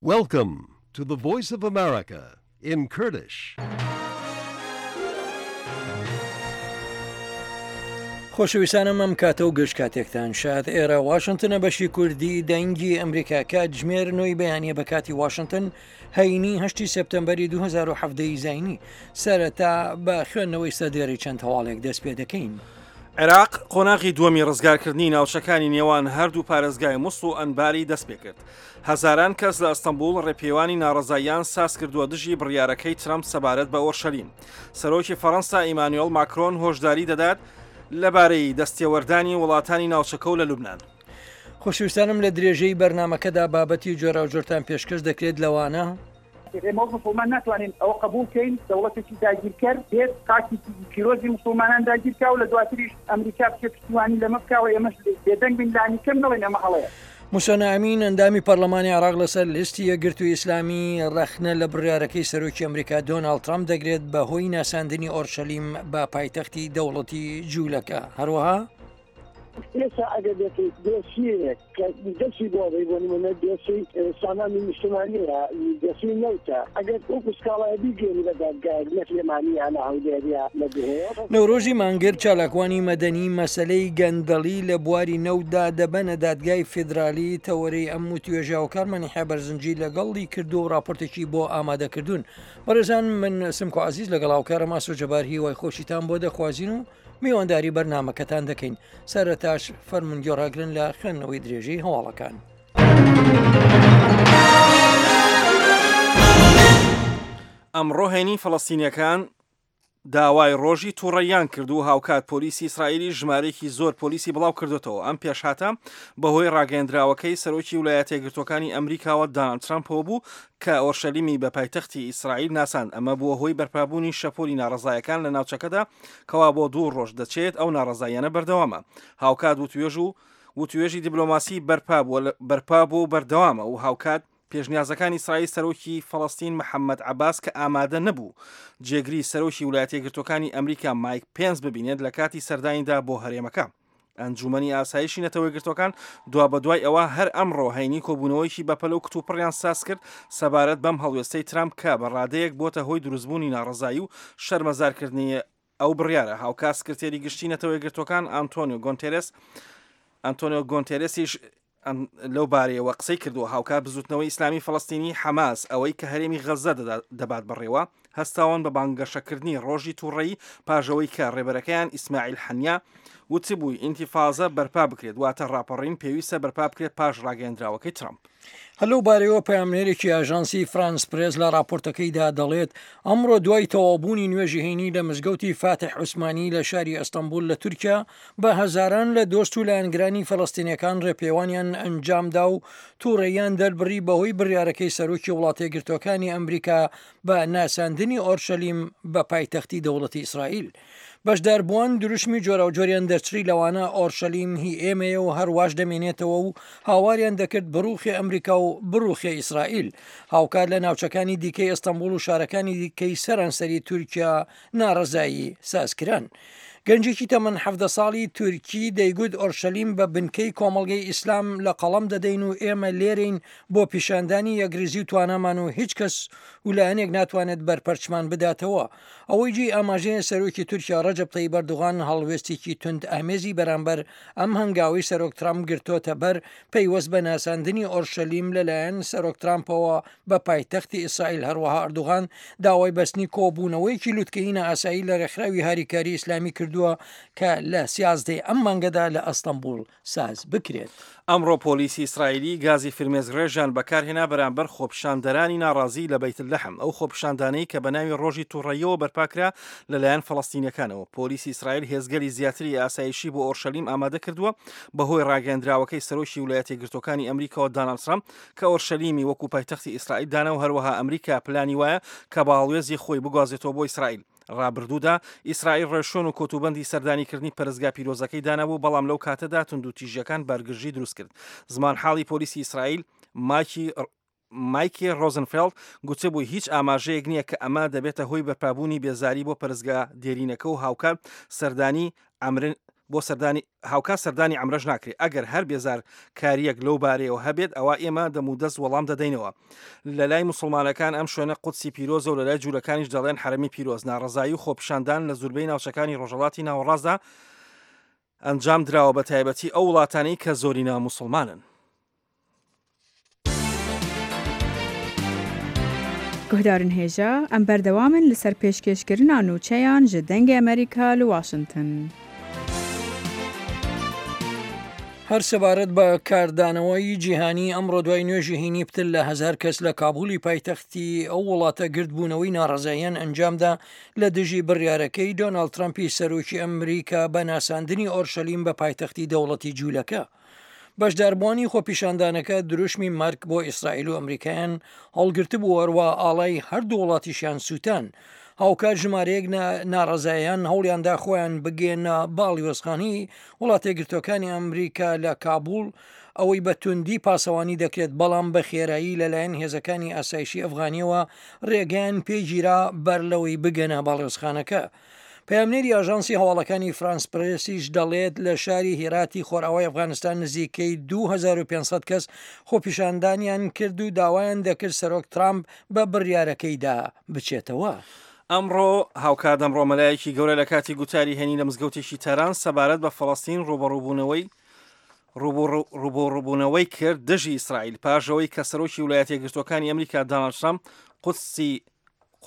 Welcome to the Voice of America in Kurdish. خۆشەویستانم ئەم کاتە و گشت کاتێکتان شاد ئێرە واشنتنە بەشی کوردی دەنگی ئەمریکا کاتژمێر نۆی بەیانە بە کاتی واشنتن هەینی هەشتی سێپتەمبەری 2017 زینی سەرەتا بە خوێندنەوەی سەردێڕی چەند هەواڵێک دەست پێ دەکەین. عێراق قۆناغی دووەمی ڕزگارکردنی ناوچەکانی نێوان هەردوو پارێزگای موسڵ و ئەنباری دەستپێکرد. هەزاران کەس لە ئەستەنبوڵ ڕێپێوانی ناڕەزاییان سازکردووە دژی بڕیارەکەی ترەمپ سەبارەت بە ئۆرشەلیم. سەرۆکی فەڕەنسا ئیمانوێڵ ماکرۆن هۆشداری دەدات لەبارەی دەستێوەردانی وڵاتانی ناوچەکە و لە لوبنان. خۆشەویستانم لە درێژەی بەرنامەکەدا بابەتی جۆراوجۆرتان پێشکەش دەکرێت لەوانە. ئێمە وەک موسڵمان ناتوانین ئەوە قبوڵ کەین دەوڵەتێکی داگیرکەر بێت خاکێکی پیرۆزی موسڵمانان داگیر کا و لە دواتریش ئەمریکا بچێت پشتیوانی لەمە بکا و ئێمەش بێدەنگ بین لانیکەم نەڵێین ئەمە هەڵەیە. موسەنا ئەمین ئەندامی پەرلەمانی عێراق لەسەر لیستی یەکگرتووی ئیسلامی ڕەخنە لە بڕیارەکەی سەرۆکی ئەمریکا دۆناڵد ترەمپ دەگرێت بەهۆی ناساندنی ئۆرشەلیم بە پایتەختی دەوڵەتی جوولەکە هەروەها ئێستا ئەگەر بێت دۆسیەیەک کە دەستی بۆ بەی بۆ نمونە دۆسیەی سامانی نیشتمانیە دۆسیەی نەوتە ئەگەر وەکو سکاڵای بیگەێنی بە دادگایەک لە سلێمانی یا لە هەولێر یا لە دهۆک. نەورۆزی مانگرد چالاکوانی مەدەنی مەسەلەی گەندەڵی لە بواری نەوتدا دەبەنە دادگای فیدرالی تەوەرەی ئەم وتوێژە هاوکارمان یحیا بەرزنجی لەگەڵی کردووە و راپۆرتێکی بۆ ئامادەکردوون. بەڕێزان من سمکۆ عەزیز لەگەڵ هاوکارم ئاسۆ جەبار هیوای خۆشیتان بۆ دەخوازین و میوانداری بەرنامەکەتان دەکەین سەرەتاش فەرموون گوێڕاگرن لە خوێندنەوەی درێژەی هەواڵەکان. ئەمڕۆ هەینی فەڵەستینیەکان داوای ڕۆژی توڕەییان کرد و هاوکات پۆلیسی ئیسرائیلی ژمارەیەکی زۆر پۆلیسی بڵاو کردوتەوە ئەم پێشهاتە بەهۆی ڕاگەیەندراوەکەی سەرۆکی ولایەتە یەکگرتووەکانی ئەمریکاوە داناڵد ترەمپەوە بوو کە ئۆرشەلیمی بە پایتەختی ئیسرائیل ناساند ئەمە بووە هۆی بەرپابوونی شەپۆلی ناڕەزایەکان لە ناوچەکەدا کەوا بۆ دوو ڕۆژ دەچێت ئەو ناڕەزاییانە بەردەوامە. هاوکات وتوێژ و وتوێژی دیبلۆماسی بەرپا بووە بەرپا بووە و بەردەوامە و هاوکات پێشنیازەکانی ئیسرائیل سەرۆکی فەڵەستین محەممەد عەباس کە ئامادە نەبوو جێگری سەرۆکی ولایەتە یەکگرتووەکانی ئەمریکا مایک پێنس ببینێت لە کاتی سەردانیدا بۆ هەرێمەکە. ئەنجوومەنی ئاسایشی نەتەوەیەکگرتووەکان دوابەدوای ئەوە هەر ئەمڕۆ هەینی کۆبوونەوەیەکی بەپەلە و کتوپڕیان سازکرد سەبارەت بەم هەڵوێستەی ترامپ کە بە ڕادەیەک بۆتە هۆی دروستبوونی ناڕەزایی و شەرمەزارکردنی ئەو بڕیارە. هاوکات سکرتێری گشتی نەتەوەیەکگرتووەکان ئانتۆنیۆ گۆنتێرێس ئەنتۆنیۆ گۆنتێرێسیش لەو بارەیەوە قسەی کردووە، هاوکات بزوتنەوەی ئیسلامی فەڵەستینی حەماس ئەوەی کە هەرێمی غەززە دەبات بەڕێوە، هەستاون بە بانگەشەکردنی ڕۆژی توڕەیی پاش ئەوەی کە ڕێبەرەکەیان ئیسماعیل حەنیە وتبووی ئینتیفازە بەرپا بکرێت، واتە ڕاپەڕین پێویستە بەرپا بکرێت پاش ڕاگەیەندراوەکەی ترەمپ. هەر لەو بارەیەوە پەیامنێرێکی ئاژانسی فرانس پرێس لە راپۆرتەکەیدا دەڵێت، ئەمڕۆ دوای تەواوبوونی نوێژی هەینی لە مزگەوتی فاتح عوسمانی لە شاری ئەستەنبوڵ لە تورکیا، بە هەزاران لە دۆست و لایەنگرانی فەلەستینیەکان ڕێپێوانیان ئەنجامدا و توڕەییان دەربڕی بەهۆی بڕیارەکەی سەرۆکی وڵاتەیەکگرتووەکانی ئەمریکا بە ناساندنی ئۆرشەلیم بە پایتەختی دەوڵەتی ئیسرائیل. بەشداربووان دروشمی جۆراوجۆریان دەرچڕی لەوانە ئۆرشەلیم هی ئێمەیە و هەرواش دەمێنێتەوە و هاواریان دەکرد بڕوخێ ئەمریکا و بڕوخێ ئیسرائیل. هاوکات لە ناوچەکانی دیکەی ئەستەنبوڵ و شارەکانی دیکەی سەرانسەری تورکیا ناڕەزایی سازکران. گەنجێکی تەمەن 17 ساڵی تورکی دەیگوت ئۆرشەلیم بە بنکەی کۆمەڵگەی ئیسلام لە قەڵەم دەدەین و ئێمە لێرەین بۆ پیشاندانی یەکریزی و توانامان و هیچ کەس و لایەنێک ناتوانێت بەرپەرچمان بداتەوە. ئەوەی جێی ئاماژەیە سەرۆکی تورکیا ڕەجەب تەیب ئەردوغان هەڵوێستێکی توند ئامێزی بەرامبەر ئەم هەنگاوەی سەرۆک ترامپ گرتۆتە بەر پەیوەست بە ناساندنی ئۆرشەلیم لەلایەن سەرۆک ترامپەوە بە پایتەختی ئیسرائیل هەروەها ئەردوغان داوای بەستنی کۆبوونەوەیەکی لوتکەیی نائاسایی لە ڕێکخراوی هاریکاری ئیسلامی کردووە کە لە سیازدەی ئەم مانگەدا لە ئەستەنبوڵ ساز بکرێت. ئەمڕۆ پۆلیسی ئیسرائیلی گازی فرمێسکڕێژیان بەکارهێنا بەرامبەر خۆپیشاندەرانی ناڕازی لە بەیت لەحم، ئەو خۆپیشاندانەی کە بەناوی ڕۆژی توڕەییەوە بەرپاکرا لەلایەن فەڵەستینیەکانەوە. پۆلیسی ئیسرائیل هێزگەلی زیاتری ئاسایشی بۆ ئۆرشەلیم ئامادە کردووە بەهۆی ڕاگەیەندراوەکەی سەرۆکی ولایەتە یەکگرتووەکانی ئەمریکاوە داناڵد ترەمپ کە ئۆرشەلیمی وەکو پایتەختی ئیسرائیل دانا و هەروەها ئەمریکا پلانی وایە کە باڵوێزی خۆی بگوازێتەوە بۆ ئیسرائیل. ڕابردوودا ئیسرائیل ڕێوشوێن و کۆتوبەندی سەردانیکردنی پەرستگا پیرۆزەکەی دانابوو، بەڵام لەو کاتەدا توندوتیژییەکان بارگرژی دروستکرد. زمانحاڵی پۆلیسی ئیسرائیل ماکی مایکی ڕۆزنفێڵد گوتبووی هیچ ئاماژەیەک نییە کە ئەمە دەبێتە هۆی بەرپابوونی بێزاری بۆ پەرستگا دێرینەکە و هاوکات سەردانی ئەمرن. بۆ سەردانی هاوکات سەردانی عەمرەش ناکرێت، ئەگەر هەر بێزارکارییەک لەو بارەیەوە هەبێت ئەوا ئێمە دەمودەست وەڵام دەدەینەوە. لەلای موسڵمانەکان ئەم شوێنە قودسی پیرۆزە و لەلای جوولەکانیش دەڵێن حەرەمی پیرۆز. ناڕەزایی و خۆپیشاندان لە زوربەی ناوچەکانی ڕۆژهەڵاتی ناوەڕاستدا ئەنجام دراوە بەتایبەتی ئەو وڵاتانەی کە زۆرینە موسڵمانن. Guhdarên hêja, em berdewam in li ser pêşkêşkirina nûçeyan ji Dengê Amerîka li Washington. هەر سەبارەت بە کاردانەوەی جیهانی ئەمڕۆ دوای نوێژی هەینی پتر لە هەزار کەس لە کابولی پایتەختی ئەو وڵاتە گردبوونەوەی ناڕەزاییان ئەنجامدا لە دژی بڕیارەکەی دۆناڵد ترەمپی سەرۆکی ئەمریکا بە ناساندنی ئۆرشەلیم بە پایتەختی دەوڵەتی جوولەکە. بەشداربووانی خۆپیشاندانەکە دروشمی مەرگ بۆ ئیسرائیل و ئەمریکایان هەڵگرتبوو هەروە ئاڵای هەردوو وڵاتیشیان سووتان. هاوکات ژمارەیەک ناڕەزایان هەوڵیاندا خۆیان بگەیەنە باڵیۆزخانەی وڵاتەیەکگرتووەکانی ئەمریکا لە کابوڵ، ئەوەی بە توندی پاسەوانی دەکرێت، بەڵام بە خێرایی لەلایەن هێزەکانی ئاسایشی ئەفغانیەوە ڕێگەیان پێگیرا بەر لەوەی بگەنە باڵیۆزخانەکە. پەیامنێری ئاژانسی هەواڵەکانی فرانس پرێسیش دەڵێت لە شاری هێراتی خۆرئاوای ئەفغانستان نزیکەی 2500 کەس خۆپیشاندانیان کرد و داوایان دەکرد سەرۆک ترامپ بە بڕیارەکەیدا بچێتەوە. ئەمڕۆ هاوکات ئەمڕۆ مەلایەکی گەورە لە کاتی گوتاری هەینی لە مزگەوتێکی تاران سەبارەت بە فەڵەستین ڕووبەڕووبوونەوەی ڕووبەڕووبوونەوەی کرد دژی ئیسرائیل پاش ئەوەی کە سەرۆکی ویلایەتە یەکگرتووەکانی ئەمریکا داناڵد ترامپ قودسی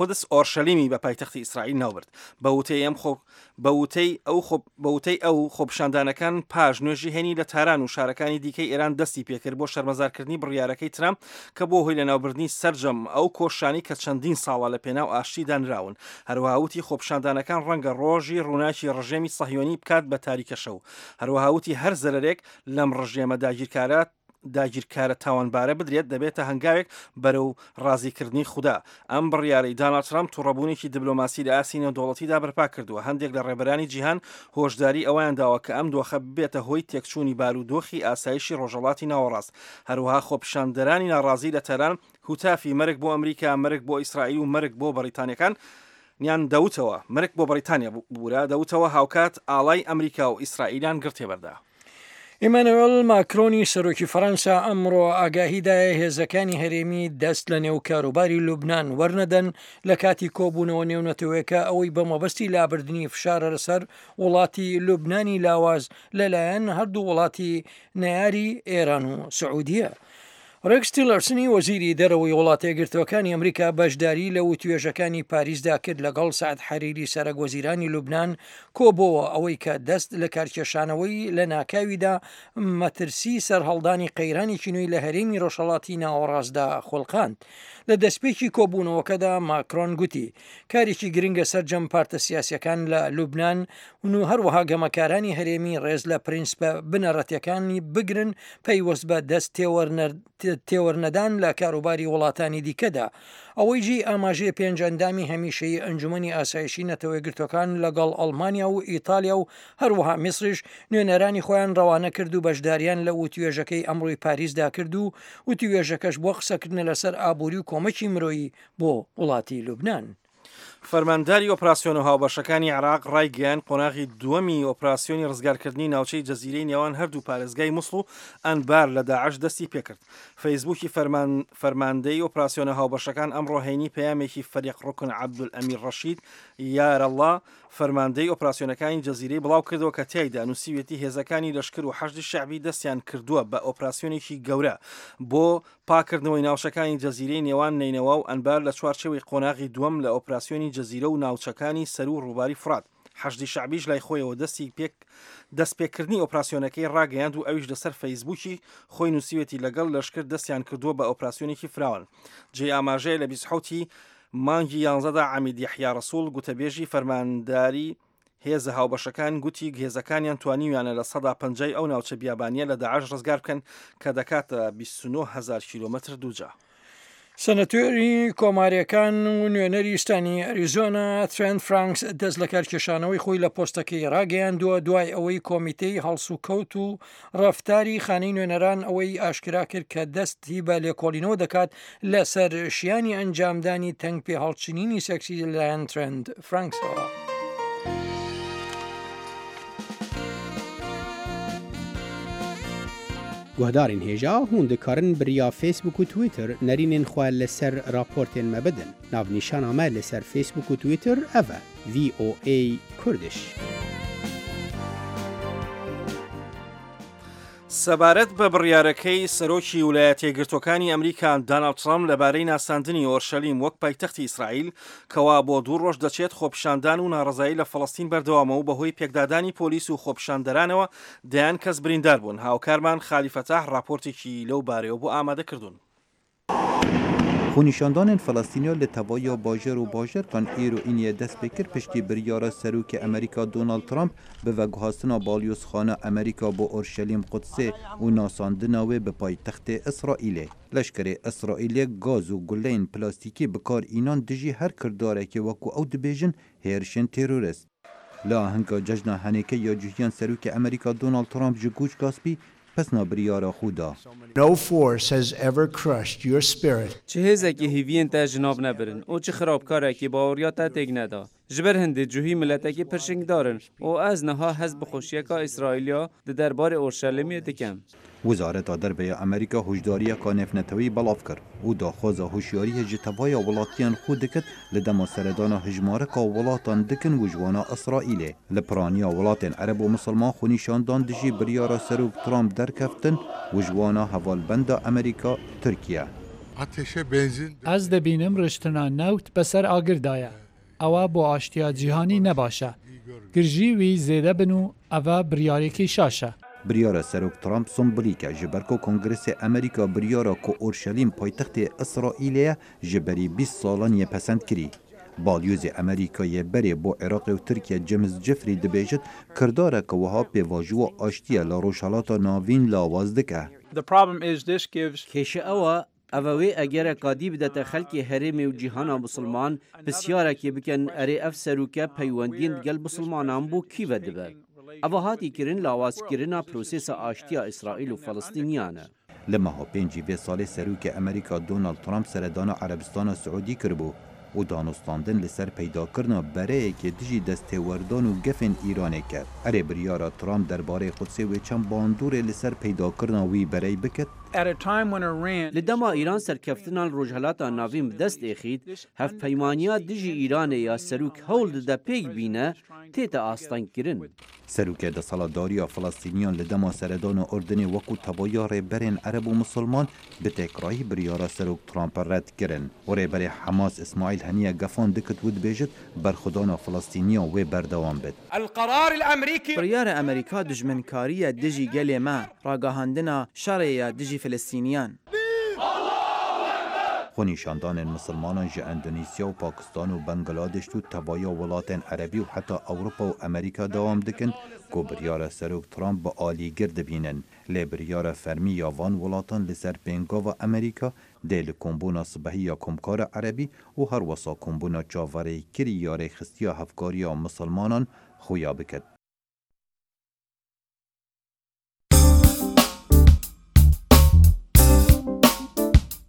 قودس ئۆرشەلیمی بە پایتەختی ئیسرائیل ناوبرد. بە وتەی ئەم خۆ بە وتەی ئەو خۆ بە وتەی ئەو خۆپیشاندانەکان پاش نوێژی هەینی لە تاران و شارەکانی دیکەی ئێران دەستی پێکرد بۆ شەرمەزارکردنی بڕیارەکەی ترامپ کە بووە هۆی لەناوبردنی سەرجەم ئەو کۆششانەی کە چەندین ساڵە لە پێناو ئاشتی دانراون. هەروەها وتی خۆپیشاندانەکان ڕەنگە ڕۆژی ڕووناکی ڕژێمی سەهیۆنی بکات بە تاریکەشەو. هەروەها وتی هەر زەرەرێک لەم ڕژێمە داگیرکارە داگیرکارە تاوانبارە بدرێت دەبێتە هەنگاوێک بەرەو ڕازیکردنی خودا. ئەم بڕیارەی داناڵد ترامپ توڕەبوونێکی دبلۆماسی لە ئاستی نێودەوڵەتیدا بەرپا کردووە. هەندێک لە ڕێبەرانی جیهان هۆشداری ئەوەیان داوە کە ئەم دۆخە ببێتە هۆی تێکچوونی بارودۆخی ئاسایشی ڕۆژهەڵاتی ناوەڕاست. هەروەها خۆپیشاندەرانی ناڕازی لە تاران هوتافی مەرگ بۆ ئەمریکا، مەرگ بۆ ئیسرائیل و مەرگ بۆ بەڕیتانیەکان یان دەوتەوە، مەرگ بۆ بەڕیتانیا ببورە، دەوتەوە، هاوکات ئاڵای ئەمریکا و ئیسرائیلیان گڕ تێبەردا. ئیمانوێل ماکرۆنی سەرۆکی فەرەنسا ئەمڕۆ ئاگاهی دایە هێزەکانی هەرێمی دەست لە نێو کاروباری لوبناان وەرنەدەن لە کاتی کۆبوونەوە نێونەتەوەیەکە ئەوەی بە مەبەستی لابردنی فشارە لەسەر وڵاتی لوبنانی لاواز لەلایەن هەردوو وڵاتی نەیاری ئێران و سعودیە. ڕێکس تیلەرسنی وەزیری دەرەوەی وڵاتە یەکگرتووەکانی ئەمریکا بەشداری لە وتوێژەکانی پاریسدا کرد لەگەڵ سەعد حەریری سەرەک وەزیرانی لوبنان کۆبۆوە ئەوەی کە دەست لە کارکێشانەوەی لە ناکاویدا مەترسی سەرهەڵدانی قەیرانێکی نوێی لە هەرێمی ڕۆژهەڵاتی ناوەڕاستدا خوڵقاند. لە دەستپێکی کۆبوونەوەکەدا ماکرۆن گوتی کارێکی گرنگە سەرجەم پارتە سیاسیەکان لە لوبنان و هەروەها گەمەکارانی هەرێمی ڕێز لە پرینسپە بنەڕەتیەکانی بگرن پەیوەست بە دەست تێوەرنەدان لە کاروباری وڵاتانی دیکەدا. ئەوەی جێی ئاماژەیە پێنج ئەندامی هەمیشەیی ئەنجومەنی ئاسایشی نەتەوەیەکگرتوەکان لەگەڵ ئەڵمانیا و ئیتالیا و هەروەها میسریش نوێنەرانی خۆیان ڕەوانە کرد و بەشداریان لە وتوێژەکەی ئەمڕۆی پاریسدا کرد و وتوێژەکەش بۆ قسەکردنە لەسەر ئابوری و کۆمەکی مرۆیی بۆ وڵاتی لوبنان. فەرمانداری ئۆپراسیۆنە هاوبەشەکانی عێراق ڕایگەیاند، قۆناغی دووەمی ئۆپراسیۆنی ڕزگارکردنی ناوچەی جەزیرەی نێوان هەردوو پارێزگای موسڵ و ئەنبار لە داعش دەستی پێکرد. فەیسبووکی فەرماندەی ئۆپراسیۆنە هاوبەشەکان ئەمڕۆ هەینی پەیامێکی فەریق ڕوکن عەبدولئەمیر ڕەشید یارەڵڵا فەرماندەی ئۆپراسیۆنەکانی جەزیرەی بڵاوکردەوە کە تیایدا نووسیویەتی هێزەکانی لەشکر و حەشدی شەعبی دەستیان کردووە بە ئۆپراسیۆنێکی گەورە بۆ پاککردنەوەی ناوچەکانی جەزیرەی نێوان نەینەوا و ئەنبار لە چوارچێوەی قۆناغی دووەم لە ئۆپراسیۆنی جەزیرە و ناوچەکانی سەروو ڕووباری فوڕات. حەشدی شەعبیش لای خۆیەوە دەستی پێک دەستپێکردنی ئۆپراسیۆنەکەی ڕاگەیاند و ئەویش لەسەر فەیسبووکی خۆی نووسیوێتی لەگەڵ لەشکر دەستیان کردووە بە ئۆپراسیۆنێکی فراوان. جێی ئاماژەیە لە 27 ی مانگی یانزەدا عەمید یەحیا ڕەسوڵ گوتەبێژی فەرمانداری هێزە هاوبەشەکان گوتی هێزەکانیان توانیویانە 50% ئەو ناوچە بیابانیە لە داعش ڕزگار بکەن کە دەکاتە 29 هەزار کیلۆمەتر دووجا. سەنەتۆری کۆماریەکان و نوێنەری ستانی ئەریزۆنا ترێنت فرانکس دەست لەکارکێشانەوەی خۆی لە پۆستەکەی ڕاگەیاندووە دوای ئەوەی کۆمیتەی هەڵسوکەوت و ڕەفتاری خانەی نوێنەران ئەوەی ئاشکرا کرد کە دەستی بە لێکۆڵینەوە دەکات لەسەر شیانی ئەنجامدانی تەنگ پێهەڵچنینی سێکسی لەلایەن ترێنت فرانکسەوە. Guhdarên hêja hûn dikarin bi riya Facebook û Twitter nerînên xwe li ser raportên me bidin. Navnîşana me li ser Facebook û Twitter ev e, VOA Kurdish. سەبارەت بە بڕیارەکەی سەرۆکی ولایەتیەکگرتووەکانی ئەمریکا داناڵد ترەمپ لەبارەی ناساندنی ئۆرشەلیم وەک پایتەختی ئیسرائیل، کەوا بۆ دوو ڕۆژ دەچێت خۆپیشاندان و ناڕەزایی لە فەڵەستین بەردەوامە و بەهۆی پێکدادانی پۆلیس و خۆپیشاندەرانەوە دەیان کەس بریندار بوون. هاوکارمان خالی فەتاح ڕاپۆرتێکی لەو بارەیەوە بۆ ئامادە کردوون. Xwenîşandanên Felestîniya li tevaya bajêr û bajerkan îro îniyê dest pê kir piştî biryara Serokê Amerîka Donald Trump bi veguhastina balyozxana Amerîka bo Orşelîm Qudsê û nasandina wê bi paytextê Îsraîlê. Leşkerê Îsraîlê gaz û guleyên plastîkî bi kar înan dijî her kirdarekê wekû ew dibêjin hêrişên terorist. Li ahenga cejna Henêke ya Cihyan Serokê Amerîka Donald Trump ji Goç Gaspî pesna biryara xwe da. No force has ever crushed your spirit. Çi hêzekî hêviyên te ji nav nebirin û çi xirabkarekî baweriya te têk neda. Ji ber hindê cuhî miletekî pirşingdar in û ez niha hest bi xweşiyeka Îsraîliya di derbarê Orşelimê dikim. Wezareta Derve ya Amerîka huşdariyeka nêvneteweyî belav kir û daxwaza huşyariyê ji tevaya welatiyên xwe dikit li dema seredana hejmareka welatan dikin û ji wana Îsraîlê. Li piraniya welatên Ereb û Misilman xwenîşandan dijî biryara Serok Trump derkeftin û ji wana hevalbenda Amerîka, Tirkiye. Ez dibînim riştina newt bi ser agir de ye. Ewa bo aştiya cîhanî ne baş e. Girjî wî zêde bin û eva biryarêkî şaş e. Biryara Serok Trump sombolîk e ji ber ku Kongresê Amerîka biryara ku Orşelîm paytextê Îsraîlê ye ji berî 20 salan yê pesend kirî. Balyozê Amerîka yê berê bo Iraqê û Tirkiye James Jeffrey dibêjit kirdareke wiha pêvajoya aştiye li Rojhilata Navîn lawaz dike. Kêşe ew e Ev e wê egereka dî bidete xelkê herêmê û cîhana misilman pisyarekê bikin erê ev seroke peywendiyên digel misilmanan bo kî ve dibe. Eva hatî kirin lawazkirina prosesa aştiya Îsraîl û Felistîniyan e. Li meha pêncî vê salê Serokê Amerîka Donald Trump seredana Erebistana Siûdî kiribû û danûstandin li ser peydakirina bereyekê dijî desttêwerdan û gefên Îranê kir. Erê biryara Trump derbarê Qudsê wê çend bandorê li ser peydakirina wî berey bikit? Li dema Îran serkeftina li Rojhilata Navîn bi dest êxît, hevpeymaniya dijî Îranê ya serok hewl dide pêk bîne, tête astengkirin. Serokê Desthilatdariya Filistîniyan li dema seredana Urdunê wekû tevaya rêberên Ereb û Misilman bi têkrayî biryara Serok Trump red kirin û rêberê Hemas Îsmaîl Heniye gefan dikit û dibêjit berxwedana Filistîniyan wê berdewam bit. Biryara Amerîka dijminkarî ye dijî gelê me, ragihandina şerê ye dijî Filistîniyan. Xwenîşandanên misilmanan ji Endonîsya û Pakistan û Bangladeş û tevaya welatên Erebî û heta Ewropa û Amerîka dewam dikin ku biryara Serok Trump bi alîgir dibînin. Lê biryara fermî ya van welatan li ser pêngava Amerîka dê li kombûna sibehî ya Komkara Erebî û herwisa kombûna çaverêkirî ya Rêxistiya Hevkariya Misilmanan xuya biket.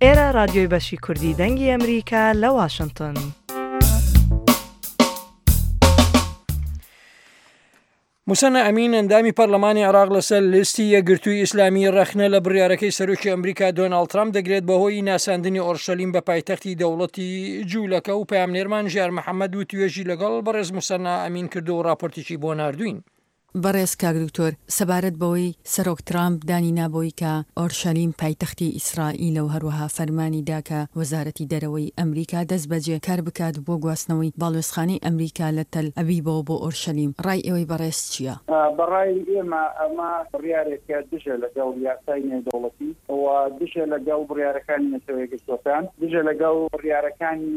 ئێرە ڕادیۆی بەشی کوردی دەنگی ئەمریکا لە واشنتن. موسەنا ئەمین ئەندامی پەرلەمانی عێراق لەسەر لیستی یەکگرتووی ئیسلامی ڕەخنە لە بڕیارەکەی سەرۆکی ئەمریکا دۆناڵد ترامپ دەگرێت بەهۆی ناساندنی ئۆرشەلیم بە پایتەختی دەوڵەتی جوولەکە و پەیامنێرمان ژیار محەممەد وتوێژی لەگەڵ بەڕێز موسەنا ئەمین کردو و ڕاپۆرتێکی بۆ ناردووین. بەڕێز کاک دکتۆر، سەبارەت بەوەی سەرۆک ترامپ دانی نا بەوەی کە ئۆرشەلیم پایتەختی ئیسرائیلە و هەروەها فەرمانی دا کە وەزارەتی دەرەوەی ئەمریکا دەستبەجێ کار بکات بۆ گواستنەوەی باڵوێزخانەی ئەمریکا لە تەل ئەبیبەوە بۆ ئۆرشەلیم، ڕای ئێوەی بەڕێز چییە؟ بە ڕای ئێمە ئەمە بڕیارێکە دژە لەگەڵ یاسای نێودەوڵەتی و دژە لەگەڵ بڕیارەکانی نەتەوە یەکگرتووەکان، دژە لەگەڵ بڕیارەکانی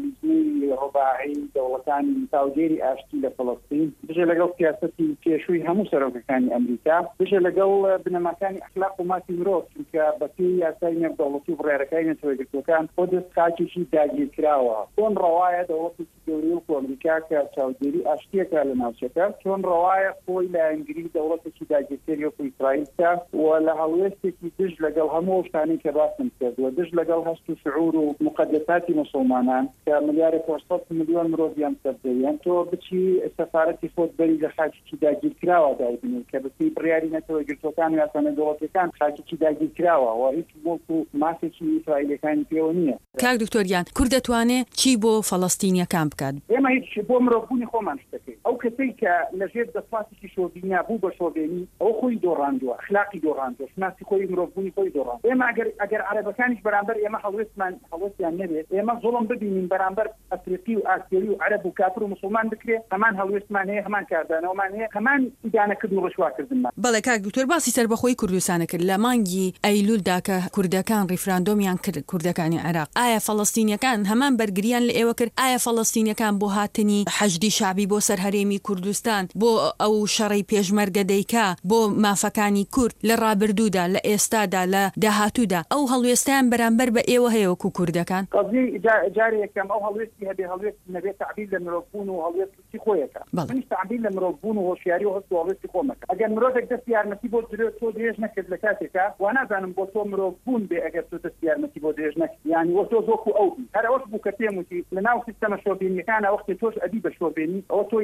لیژنەی ڕوباعی دەوڵەتانی چاودێری ئاشتی لە فەڵەستین، دژە لەگەڵ سیاسەتی پێشووی هەموو سەرۆکەکانی ئەمریکا، دژە لەگەڵ بنەماکانی ئەخلاق و مافی مرۆڤ، چونکە بەپێی یاسای نێودەوڵەتی و بڕیارەکانی نەتەوە یەکگرتووەکان قودس خاکێکی داگیرکراوە. چۆن ڕەوایە دەوڵەتێکی گەورەی وەکو ئەمریکا کە چاودێری ئاشتییەکە لە ناوچەکە، چۆن ڕەوایە خۆی لایەنگری دەوڵەتێکی داگیرکەری وەکو ئیسرائیل بکا و لە هەڵوێستێکی دژ لەگەڵ هەموو ئەو شتانەی کە باسم کرد و دژ لەگەڵ هەست و شعور و موقەدەساتی موسڵمانان کە ملیارێک و 800 ملیۆن مرۆڤیان سەر زەویان، تۆ بچی سەفارەتی خۆت بەری لە خاکێکی داگیرکراو. داگیرکراوە دایبنێی کە بەپێی بڕیاری نەتەوە یەکگرتووەکان و یاسا نێودەوڵەتییەکان خاکێکی داگیرکراوە و هیچ موڵک و مافێکی ئیسرائیلییەکانی پێوە نییە. کاک دکتۆر گیان کورد دەتوانێ چی بۆ فەڵەستینیەکان بکات؟ ئێمە هیچ بۆ مرۆڤبوونی خۆمان شت دەکەین. ئەو کەسەی کە لە ژێر دەسڵاتێکی شۆڤینیا بوو بە شۆڤێنی، ئەوە خۆی دۆڕاندووە، ئەخلاقی دۆڕاندووە، شوناسی خۆی، مرۆڤبوونی خۆی دۆڕاندووە. ئێمە ئەگەر ئەگەر عەرەبەکانیش بەرامبەر ئێمە هەڵوێستمان هەڵوێستیان نەبێت، ئێمە زوڵم ببینین بەرامبەر ئەفریقی و ئاسیەوی و عەرەب و کافر و موسڵمان بکرێ، هەمان هەڵوێستمان هەیە، هەمان کاردانەوەمان هەیە، هەمان ئیدانەکردن و ڕیسواکردنمان. بەڵێ کاک دکتۆر باسی سەربەخۆیی کوردستانت کرد لە مانگی ئەیلولدا کە کوردەکان ڕیفراندۆمیان کرد کوردەکانی عێراق ئایا فەڵەستینیەکان هەمان بەرگریان لە ئێوە کرد ئایا فەڵەستینیەکان بۆ هاتنی حەشدی شەعبی بۆ سەر هەرێمی کوردستان بۆ ئەو شەڕەی پێشمەرگە دەیکا بۆ مافەکانی کورد لە ڕابردوودا لە ئێستادا لە داهاتوودا ئەو هەڵوێستەیان بەرامبەر بە ئێوە هەیە وەکو کوردەکان؟ قەزیەی جارێ یەکەم ئەو هەڵوێستی هەبێ هەڵوێستی نەبێ تەعبیر لە مرۆڤ بوون و هەڵوێست و چی خۆی ئەکا منیش تەعبیر لە مرۆڤ بوون و هۆشیاری و هەست و هەڵوێستی خۆم ئەکەم ئەگەر مرۆڤێک دەستی یارمەتی بۆ درێ تۆ درێژ نەکرد لە کاتێکا وانازانم بۆ تۆ مرۆڤ بوون بێ ئەگەر تۆ دەستی یارمەتی بۆ درێژ نەکرد یانی وە تۆش وەکو ئەو بی هەر ئەوەش بوو کە پێم وتی لە ناو سیستەمە شۆڤێنیەکانا وەختێ تۆش ئەبی بە شۆڤێنی ئەوە تۆ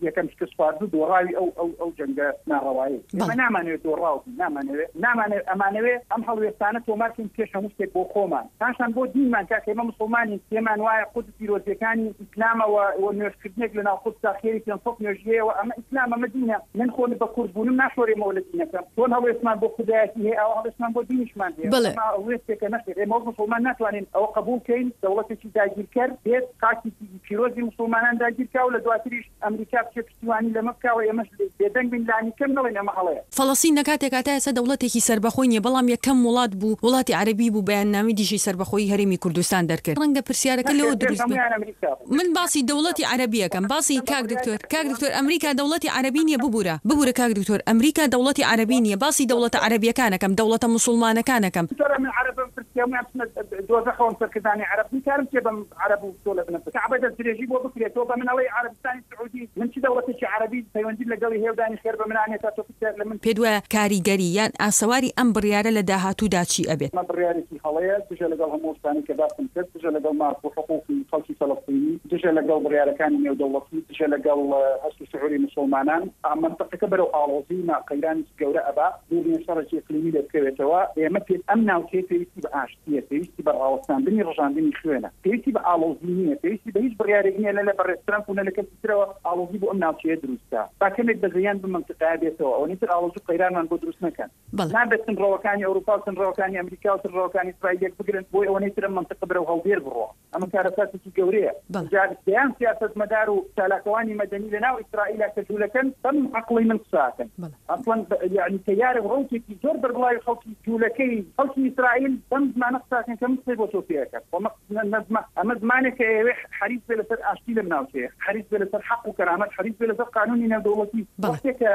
یەکەم شکست خواردوو دۆڕاوی ئەو ئەو ئەو جەنگە ناڕەوایەی ئێمە نامانەوێ دۆڕاو بین نامانەوێ نامانەوێ ئەمانەوێ ئەم هەڵوێستانە تۆمار کەین پێش هەموو شتێک بۆ خۆمان پاشان بۆ دینمان کاکە ئێمە موسڵمانین پێمان وایە قودس پیرۆزیەکانی ئیسلامە وە وە نوێژ کردنێک لە ناو قودسا خێری 500 نوێژی هەیە وە ئەمە ئیسلامە ئەمە دینە من خۆ بە کورد بوونم ناشۆرێمەوە لە دینەکەم چۆن هەڵوێستمان بۆ کوردایەتی هەیە ئاوا هەڵوێستمان بۆ دینیشمان هەیە بەڵێ. ئەمە هەڵوێستێکە نەخێر ئێمە وەک موسڵمان ناتوانین ئەوە قبوڵ کەین دەوڵەتێکی داگیرکەر بێت خاکێکی پیرۆزی موسڵمانان داگیر کا و لە دواتریش ئەمریکا بچێ پشتیوانی لەمە بکا و ئێمەش بێدەنگ بین لانیکەم نەڵێین ئەمە هەڵەیە. فەڵەستین لە کاتێکا تا ئێستا دەوڵەتێکی سەربەخۆی نییە، بەڵام یەکەم وڵات بوو، وڵاتی عەرەبی بوو بەیاننامەی دژی سەربەخۆیی هەرێمی کوردستان دەرکرد. ڕەنگە پرسیارەکە نەخێر لەوە پێش دروست بێ. هەموویان ئەمریکا بوو. من باسی دەوڵەتی عەرەبی ئەکەم. باسی کاک دکتۆر، کاک دکتۆر ئەمریکا دەوڵەتی عەرەبی نییە ببورە، ببورە کاک دکتۆر ئەمریکا دەوڵەتی عەرەبی نییە، باسی دەوڵەتە عەرەبییەکان ئەکەم، دەوڵەتە موسوڵمانەکان ئەکەم. دکتۆر ئەمن عەرەبم پرسی هەموویان بچنە دۆزەخەوەم سەرکردانی عەرەب من کارم چیە بەم عەرەب و تۆ لە بنە کەعبە دەست درێژی بۆ بکرێ تۆ بە من ئەڵێی عەرەبستانی سعودی من چ دەوڵەتێکی عەرەبی پەیوەندیم لەگەڵی هەیە و دانی خێر بە من ئانێ تا تۆ پرسیار لە من پێت وایە کاریگەری یان ئاسەواری ئەم بڕیارە لە داهاتوودا چی ئەبێت؟ ئەمە بڕیارێکی هەڵەیە، دژە لەگەڵ هەموو ئەو شتانەی کە باسم کرد، دژە لەگەڵ ماف و حقوقی خەڵکی فەلەستینی، دژە لەگەڵ بڕیارەکانی نێودەوڵەتی، دژە لەگەڵ هەست و شعوری موسڵمانان. مەنتقەکە بەرەو ئاڵۆزی و قەیرانێکی گەورە ئەبا، دوور نیە شەڕێکی ئیقلیمی لێ بکەوێتەوە. ئێمە پێ ئەم ناوچەیە پێویستی بە ئاشتییە، پێویستی بە ڕاوەستاندنی ڕژاندنی خوێنە، پێویستی بە ئاڵۆزی نییە، پێویستی بە هیچ بڕیارێک نییە نە لە بەڕێز ترەمپ و نە لە کەسی ترەوە ئاڵۆزی بۆ ئەم ناوچەیە دروست کا. با کەمێک بەزەییان بەم مەنتقەیە بێتەوە، ئەوەنەی تر ئاڵۆزی و قەیرانمان بۆ دروست نەکەن. نابێت تونڕەوەکانی ئەوروپا و تونڕەوەکانی ئەمریکا و تونڕەوەکانی ئیسرائیل یەک بگرن بۆی ئەوەنەی تر ئەم مەنتقە بەرەو هەڵدێر بڕوا. ئەمە کارەساتێکی گەورەیە. جا دەیان سیاسەتمەدار و چالاکەوانی مەدەنی لە ناو ئیسرائیلا کە جوولەکەن بەم عەقڵەی من قسە ئەکەن. ئەسڵەن یەعنی تەیارێک ڕەوتێکی زۆر بەربڵاوی خەڵکی جوولەکەی خەڵکی ئیسرائیل بەم زمانە قسە ئەکەن کە من قسەی بۆ تۆ پێ ئەکەم. خۆ ئەمە ئەمە زمانێکە ئەیەوێ حەریس بێ لەسەر ئاشتی لەم ناوچەیە، حەریس بێ لەسەر حەق و کەرامەت، حەریس بێ لەسەر قانوونی نێودەوڵەتی. وەختێ کە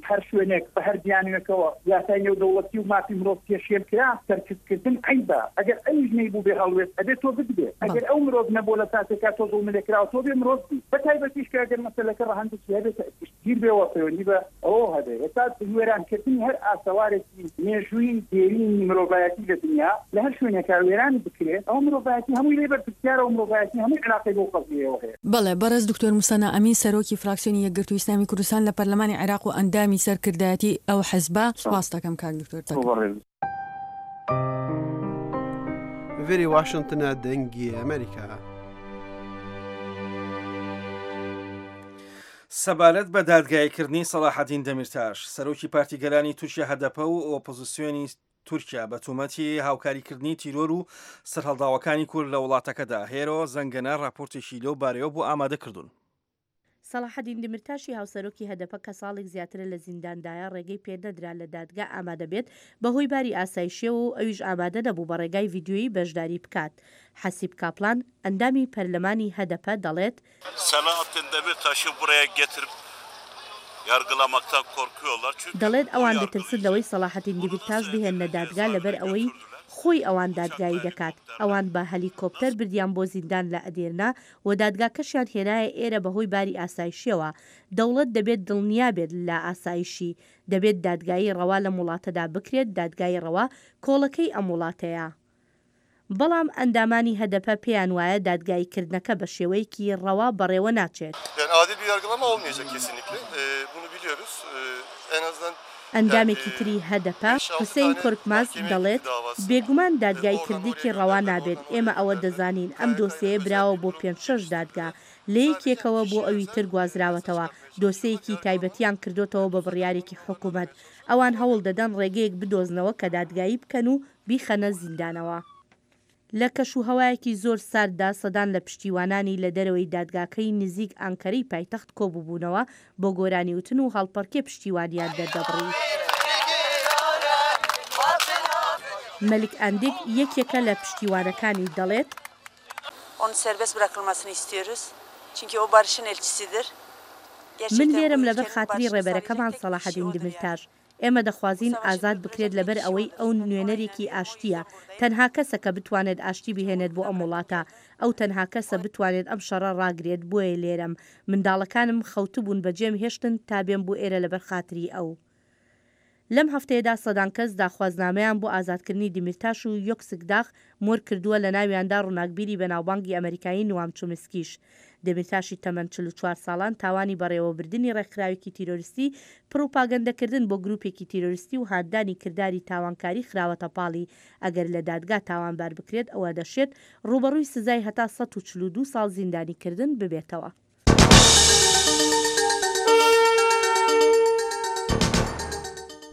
هەر شوێنێک بە هەر بیانووێکەوە یاسای نێودەوڵەتی و مافی مرۆڤ پێشێل کرا، سەرکزکردن عەیبە. ئەگەر ئەویش نەیبوو بێ هەڵوێست، ئەبێ تۆ بتبێ. ئەگەر ئەو مرۆڤ نەبووە لە ساتێکا تۆ زوڵملێکراوە، تۆ بێ مرۆڤ بی. بە تایبەتیش کە ئەگەر مەسەلەکە ڕەهەندێکی هەبێ کە گشتگیر بێ و پەیوەندی بە ئەوەوە هەبێ. ئێستا وێرانکردنی هەر ئاسەوارێکی مێژووی دێرینی مرۆڤایەتی لە دنیا، لە هەر شوێنێکا وێران بکرێ، ئەوە مرۆڤایەتی هەمووی لێی بەرپرسیارە و مرۆڤایەتی هەمووی عیلاقەی بەو قەزیەیەوە هەیە. بەڵێ، بەڕێز دکتۆر موسەنا ئەمین سەرۆکی فراکسیۆنی یەکگرتووی ئیسلامی کوردستان لە پەرلەمانی عێراق و ئەندامی سەرکردایەتی ئەو حزبە، سوپاست دەکەم کاک دکتۆر. ڤێری واشنتنە دەنگی ئەمریکا. سەبارەت بە دادگاییکردنی سەڵاحەدین دەمیرتاش، سەرۆکی پارتی گەلانی تورکیا هەدەپە و ئۆپۆزسیۆنی تورکیا بە تۆمەتی هاوکاریکردنی تیرۆر و سەرهەڵداوەکانی کورد لە وڵاتەکەدا، هێرۆ زەنگەنە راپۆرتێکی لەو بارەیەوە بۆ ئامادە کردوون. سەڵاحەدین دمرتاشی هاوسەرۆکی هەدەپە کە ساڵێک زیاترە لە زینداندایە ڕێگەی پێنەدرا لە دادگا ئامادەبێت بەهۆی باری ئاسایشیەوە و ئەویش ئامادە نەبوو بە ڕێگای ڤیدیۆیی بەشداری بکات. حەسیب کاپلان، ئەندامی پەرلەمانی هەدەپە دەڵێت، Selahattin Demirtaş'ı buraya getirip yargılamaktan korkuyorlar. Çünkü دەڵێت ئەوان دەترسن لەوەی سەڵاحەدین دیمیرتاش بهێننە دادگا لەبەر ئەوەی خۆی ئەوان دادگایی دەکات. ئەوان بە هەلیکۆپتەر بردیان بۆ زیندان لە ئەدێرنە و دادگاکەشیان هێنایە ئێرە بەهۆی باری ئاسایشیەوە. دەوڵەت دەبێت دڵنیا بێت لە ئاسایشی. دەبێت دادگایی ڕەوا لەم وڵاتەدا بکرێت، دادگای ڕەوا کۆڵەکەی ئەم وڵاتەیە. بەڵام ئەندامانی هەدەپە پێیان وایە دادگاییکردنەکە بە شێوەیەکی ڕەوا بەڕێوە ناچێت. Yani adil bir yargılama olmayacak kesinlikle. Bunu biliyoruz. ئەندامێکی تری هەدەپە، حوسەین کۆرکماز، دەڵێت، بێگومان دادگاییکردنێکی ڕەوا نابێت، ئێمە ئەوە دەزانین، ئەم دۆسێیە براوە بۆ پێنج شەش دادگا، لە یەکێکەوە بۆ ئەوی تر گوازراوەتەوە، دۆسێیەکی تایبەتیان کردۆتەوە بە بڕیارێکی حکومەت، ئەوان هەوڵ دەدەن ڕێگەیەک بدۆزنەوە کە دادگایی بکەن و بیخەنە زیندانەوە. لە کەشوهەوایەکی زۆر سارددا سەدان لە پشتیوانانی لە دەرەوەی دادگاکەی نزیک ئانکەرەی پایتەخت کۆبووبوونەوە بۆ گۆرانیوتن و هەڵپەڕکێ پشتیوانیان دەردەبڕی. مەلک ئەندیک یەکێکە لە پشتیوانەکانی دەڵێت. من لێرەم لەبەر خاتری ڕێبەرەکەمان سەڵاحەدین دمیرتاش. ئێمە دەخوازین ئازاد بکرێت لەبەر ئەوەی ئەو نوێنەرێکی ئاشتییە، تەنها کەسە کە بتوانێت ئاشتی بهێنێت بۆ ئەم وڵاتە، ئەو تەنها کەسە بتوانێت ئەم شەڕە ڕاگرێت بۆیە لێرەم، منداڵەکانم خەوتبوون بەجێم هێشتن تا بێم بۆ ئێرە لەبەر خاتری ئەو. لەم هەفتەیەدا سەدان کەس داخوازنامەیان بۆ ئازادکردنی دیمیرتاش و یۆکسکداغ مۆر کردووە لەناویاندا ڕوناکبیری بەناوبانگی ئەمەریکایی نوام چومسکیش. دەمیرتاشی تەمەن 44 ساڵان تاوانی بەڕێوەبردنی ڕێکخراوێکی تیرۆریستی، پڕوپاگەندەکردن بۆ گروپێکی تیرۆریستی و هاندانی کرداری تاوانکاری خراوەتە پاڵی، ئەگەر لە دادگا تاوانبار بکرێت ئەوە دەشێت ڕووبەڕووی سزای هەتا 142 ساڵ زیندانیکردن ببێتەوە.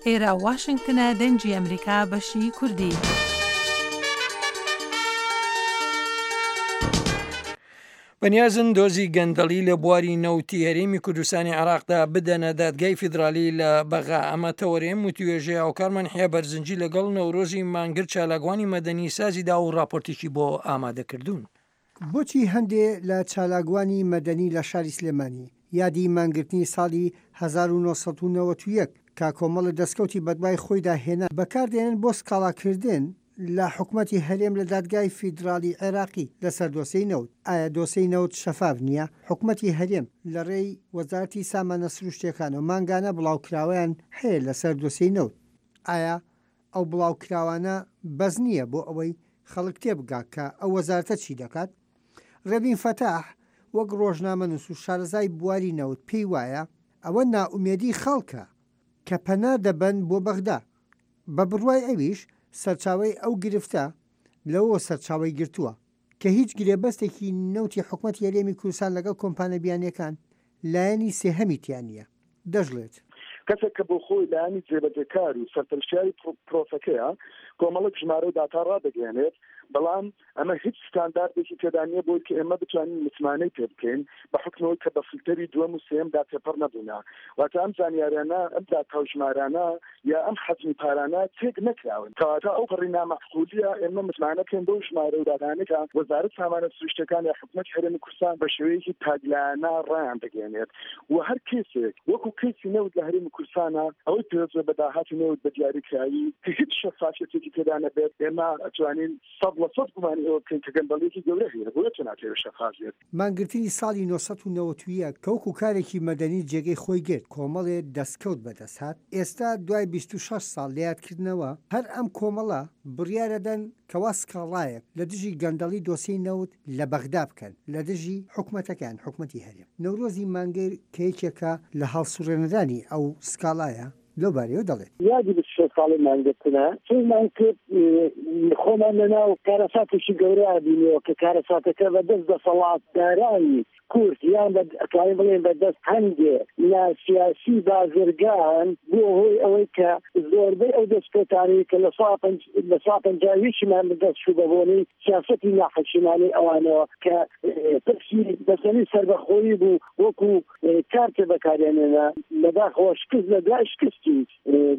ئێرە واشنگتنە دەنگی ئەمریکا بەشی کوردی. بەنیازن دۆزی گەندەڵی لە بواری نەوتی هەرێمی کوردستانی عێراقدا بدەنە دادگای فیدرالی لە بەغا ئەمە تەوەرەیەم وتوێژەی هاوکارمان حیا بەرزنجی لەگەڵ نەورۆزی مانگر چالاکوانی مەدەنی سازی دا و ڕاپۆرتێکی بۆ ئامادەکردوون. بۆچی هەندێ لە چالاکوانی مەدەنی لە شاری سلێمانی یادی مانگرتنی ساڵی 1991 کە کۆمەڵە دەستکەوتی بەدوای خۆیدا هێنا بەکاردێنن بۆ سکاڵاکردن لە حکومەتی هەرێم لە دادگای فیدراڵی عێراقی لەسەر دۆسێی نەوت؟ ئایا دۆسێی نەوت شەفاف نییە؟ حکومەتی هەرێم لە ڕێی وەزارەتی سامانە سروشتییەکانەوە مانگانە بڵاوکراوەیان هەیە لەسەر دۆسێی نەوت. ئایا ئەو بڵاوکراوانە بەس نییە بۆ ئەوەی خەڵک تێبگا کە ئەو وەزارەتە چی دەکات؟ ڕێبین فەتاح وەک ڕۆژنامەنووس و شارەزای بواری نەوت پێی وایە ئەوە نائومێدی خەڵکە کە پەنا دەبەن بۆ بەغدا. بە بڕوای ئەویش سەرچاوەی ئەو گرفتە لەوەوە سەرچاوەی گرتووە کە هیچ گرێبەستێکی نەوتی حکومەتی هەرێمی کوردستان لەگەڵ کۆمپانیا بیانییەکان لایەنی سێهەمی تیا نییە. دەشڵێت. کەسێک کە بۆ خۆی لایەنی جێبەجێکار و سەرپەرشتیاری پرۆسەکەیە، کۆمەڵێک ژمارە و داتا ڕادەگەیەنێت، بەڵام ئەمە هیچ ستانداردێکی تێدا نییە بۆی کە ئێمە بتوانین متمانەی پێ بکەین بە حوکمی ئەوەی کە بە فلتەری دووەم و سێیەمدا تێپەڕ نەبوونە. واتە ئەم زانیاریانە، ئەم داتا و ژمارانە یا ئەم حەجمی پارانە تێک نەکراون. کەواتە ئەوپەڕی نامەعقولییە ئێمە متمانە بکەین بەو ژمارە و داتانەی کە وەزارەت سامانە سروشتیەکان یا حکومەتی هەرێمی کوردستان بە شێوەیەکی تاکلایەنە ڕایاندەگەیەنێت و هەر کەیسێک وەکو کەیسی نەوت لە هەرێمی کوردستانە ئەوەی پێوەست بێت بە داهاتی نەوت بە دیاریکراوی کە هیچ شەفافیەتێکی تێدا نەبێت ئێمە ئەتوانین 100% گومانی ئەوە بکەین کە گەندەڵیەکی گەورە هەیە بۆیە تۆ ناتەوێت شەفاف بێت. مانگرتنی ساڵی 991 کە وەکو کارێکی مەدەنی جێگەی خۆی گرت، کۆمەڵێ دەستکەوت بەدەست هات، ئێستا دوای 26 ساڵ لە یادکردنەوە، هەر ئەم کۆمەڵە بڕیارەدەن کەوا سکاڵایەک لە دژی گەندەڵی دۆسیەی نەوت لە بەغدا بکەن لە دژی حکومەتەکەیان، حکومەتی هەرێم. نەورۆزی مانگر کە یەکێکە لە هەڵسوڕێنەرانی ئەو سکاڵایە، لەو بارەیەوە دەڵێت. یادی 26 ساڵەی مانگرتنە فێرمان کرد خۆمان لەناو کارەساتێکی گەورەیا بینیەوە کە کارەساتەکە بە دەست دەسەڵاتدارانی کورد یان بە ئەتوانین بڵێین بە دەست هەندێ لە سیاسی بازرگان بووە هۆی ئەوەی کە زۆربەی ئەو دەستکەوتانەی کە لە سا پەنج لە سا پەنجا و یەکیمان بە دەست چوو بە بۆنەی سیاسەتی ناحەکیمانەی ئەوانەوە کە پرسی مەسەلەی سەربەخۆیی بوو وەکوو کارتێ بەکاریان هێنا، بەداخەوە شکست لە دوای شکستی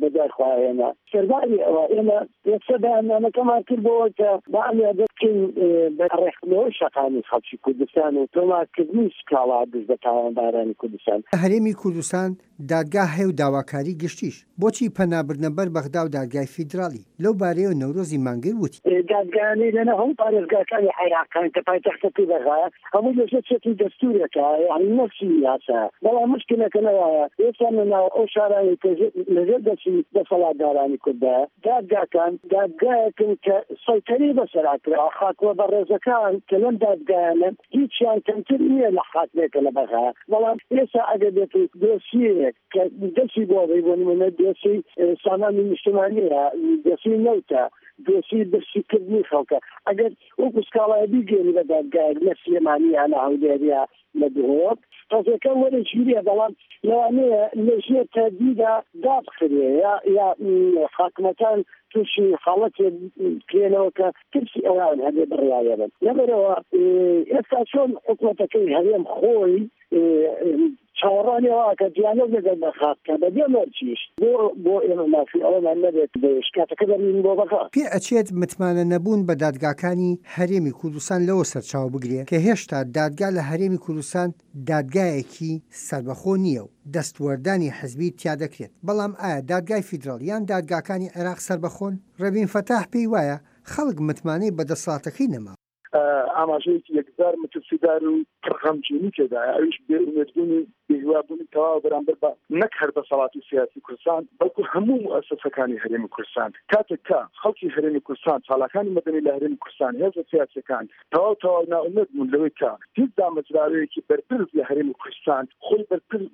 بە دوای خۆیان هێنا. سەرباری ئەوە ئێمە یەکسەر بەیاننامەکەمان کرد بۆ ئەوەی کە با ئەم یادە بکەین بە ڕێکخستنەوەی شەقامی خەڵکی کوردستان و تۆمارکردنی سکاڵا دژ بە تاوانبارانی کوردستان. لە هەرێمی کوردستان دادگا هەیە و داواکاری گشتیش، بۆچی پەنابردنە بەر بەغدا و دادگای فیدراڵی؟ لەو بارەیەوە نەورۆزی مانگر وتی. دادگایانەی لەناو هەموو پارێزگاکانی عێراق هەن کە پایتەختەکەی بەغایە، هەمووی لەژێر چەتری دەستوورێکە، یانی نەفسی یاسایە، بەڵام موشکیلەکە لەوایە ئێستا لەناو ئەو شارانەی کە لەژێر دەستی دەسەڵاتدارانی کوردایە، دادگاکان دادگایەکن کە سەیتەرەی بەسەرا کراوە، حاکمە بەڕێزەکان کە لەم دادگایانەن هیچیان کەمتر نییە لە حاکمێک کە لە بەغایە، بەڵام ئێستا ئەگەر بێت و دۆسیەیەک. دۆسیەیەک کە دەستی بۆ بەی، بۆ نموونە دۆسیەی سامانی نیشتمانییە، دۆسیەی نەوتە، دۆسیەی برسیکردنی خەڵکە، ئەگەر وەکو سکاڵایە بیگەیەنی بە دادگایەک لە سلێمانی یا لە هەولێر یا لە دهۆک، قەزیەکە وەرەگیرێ، بەڵام لەوانەیە لە ژێر تەهدیدا دابخرێ یا یا حاکمەکان تووشی حاڵەتێک بکرێنەوە کە ترسی ئەوان هەبێ بڕیارێ بن. لەبەرئەوە ئێستا چۆن حکومەتەکەی هەرێم خۆی چاوەڕوانی ئەوە ئەکات دیالۆگ لەگەڵ بەغا بکات بەبێ مەرجیش بۆ بۆ ئێمە مافی ئەوەمان نەبێت شکاتەکە بەرین بۆ بەغا. پێ ئەچێت متمانە نەبوون بە دادگاکانی هەرێمی کوردستان لەوە سەرچاوە بگرێ کە هێشتا دادگا لە هەرێمی کوردستان دادگایەکی سەربەخۆ نییە و دەستوەردانی حزبی تیا دەکرێت، بەڵام ئایا دادگای فیدراڵ یان دادگاکانی عێراق سەربەخۆن؟ ڕێبین فەتاح پێی وایە خەڵک متمانەی بە دەسەڵاتەکەی نەماوە. ئاماژەیەکی یەکجار مەترسیدار و پڕ غەمگینی تێدایە، ئەویش بێئومێدبوون و بێهیوابوونی تەواوە بەرامبەر بە نەک هەر دەسەڵاتی سیاسی کوردستان، بەڵکو هەموو موئەسەسەکانی هەرێمی کوردستان. کاتێک کە خەڵکی هەرێمی کوردستان، چالاکانی مەدەنی لە هەرێمی کوردستان، هێزە سیاسیەکان تەواو تەواو نائومێد بوون لەوەی کە هیچ دامەزراوەیەکی بەرپرس لە هەرێمی کوردستان خۆی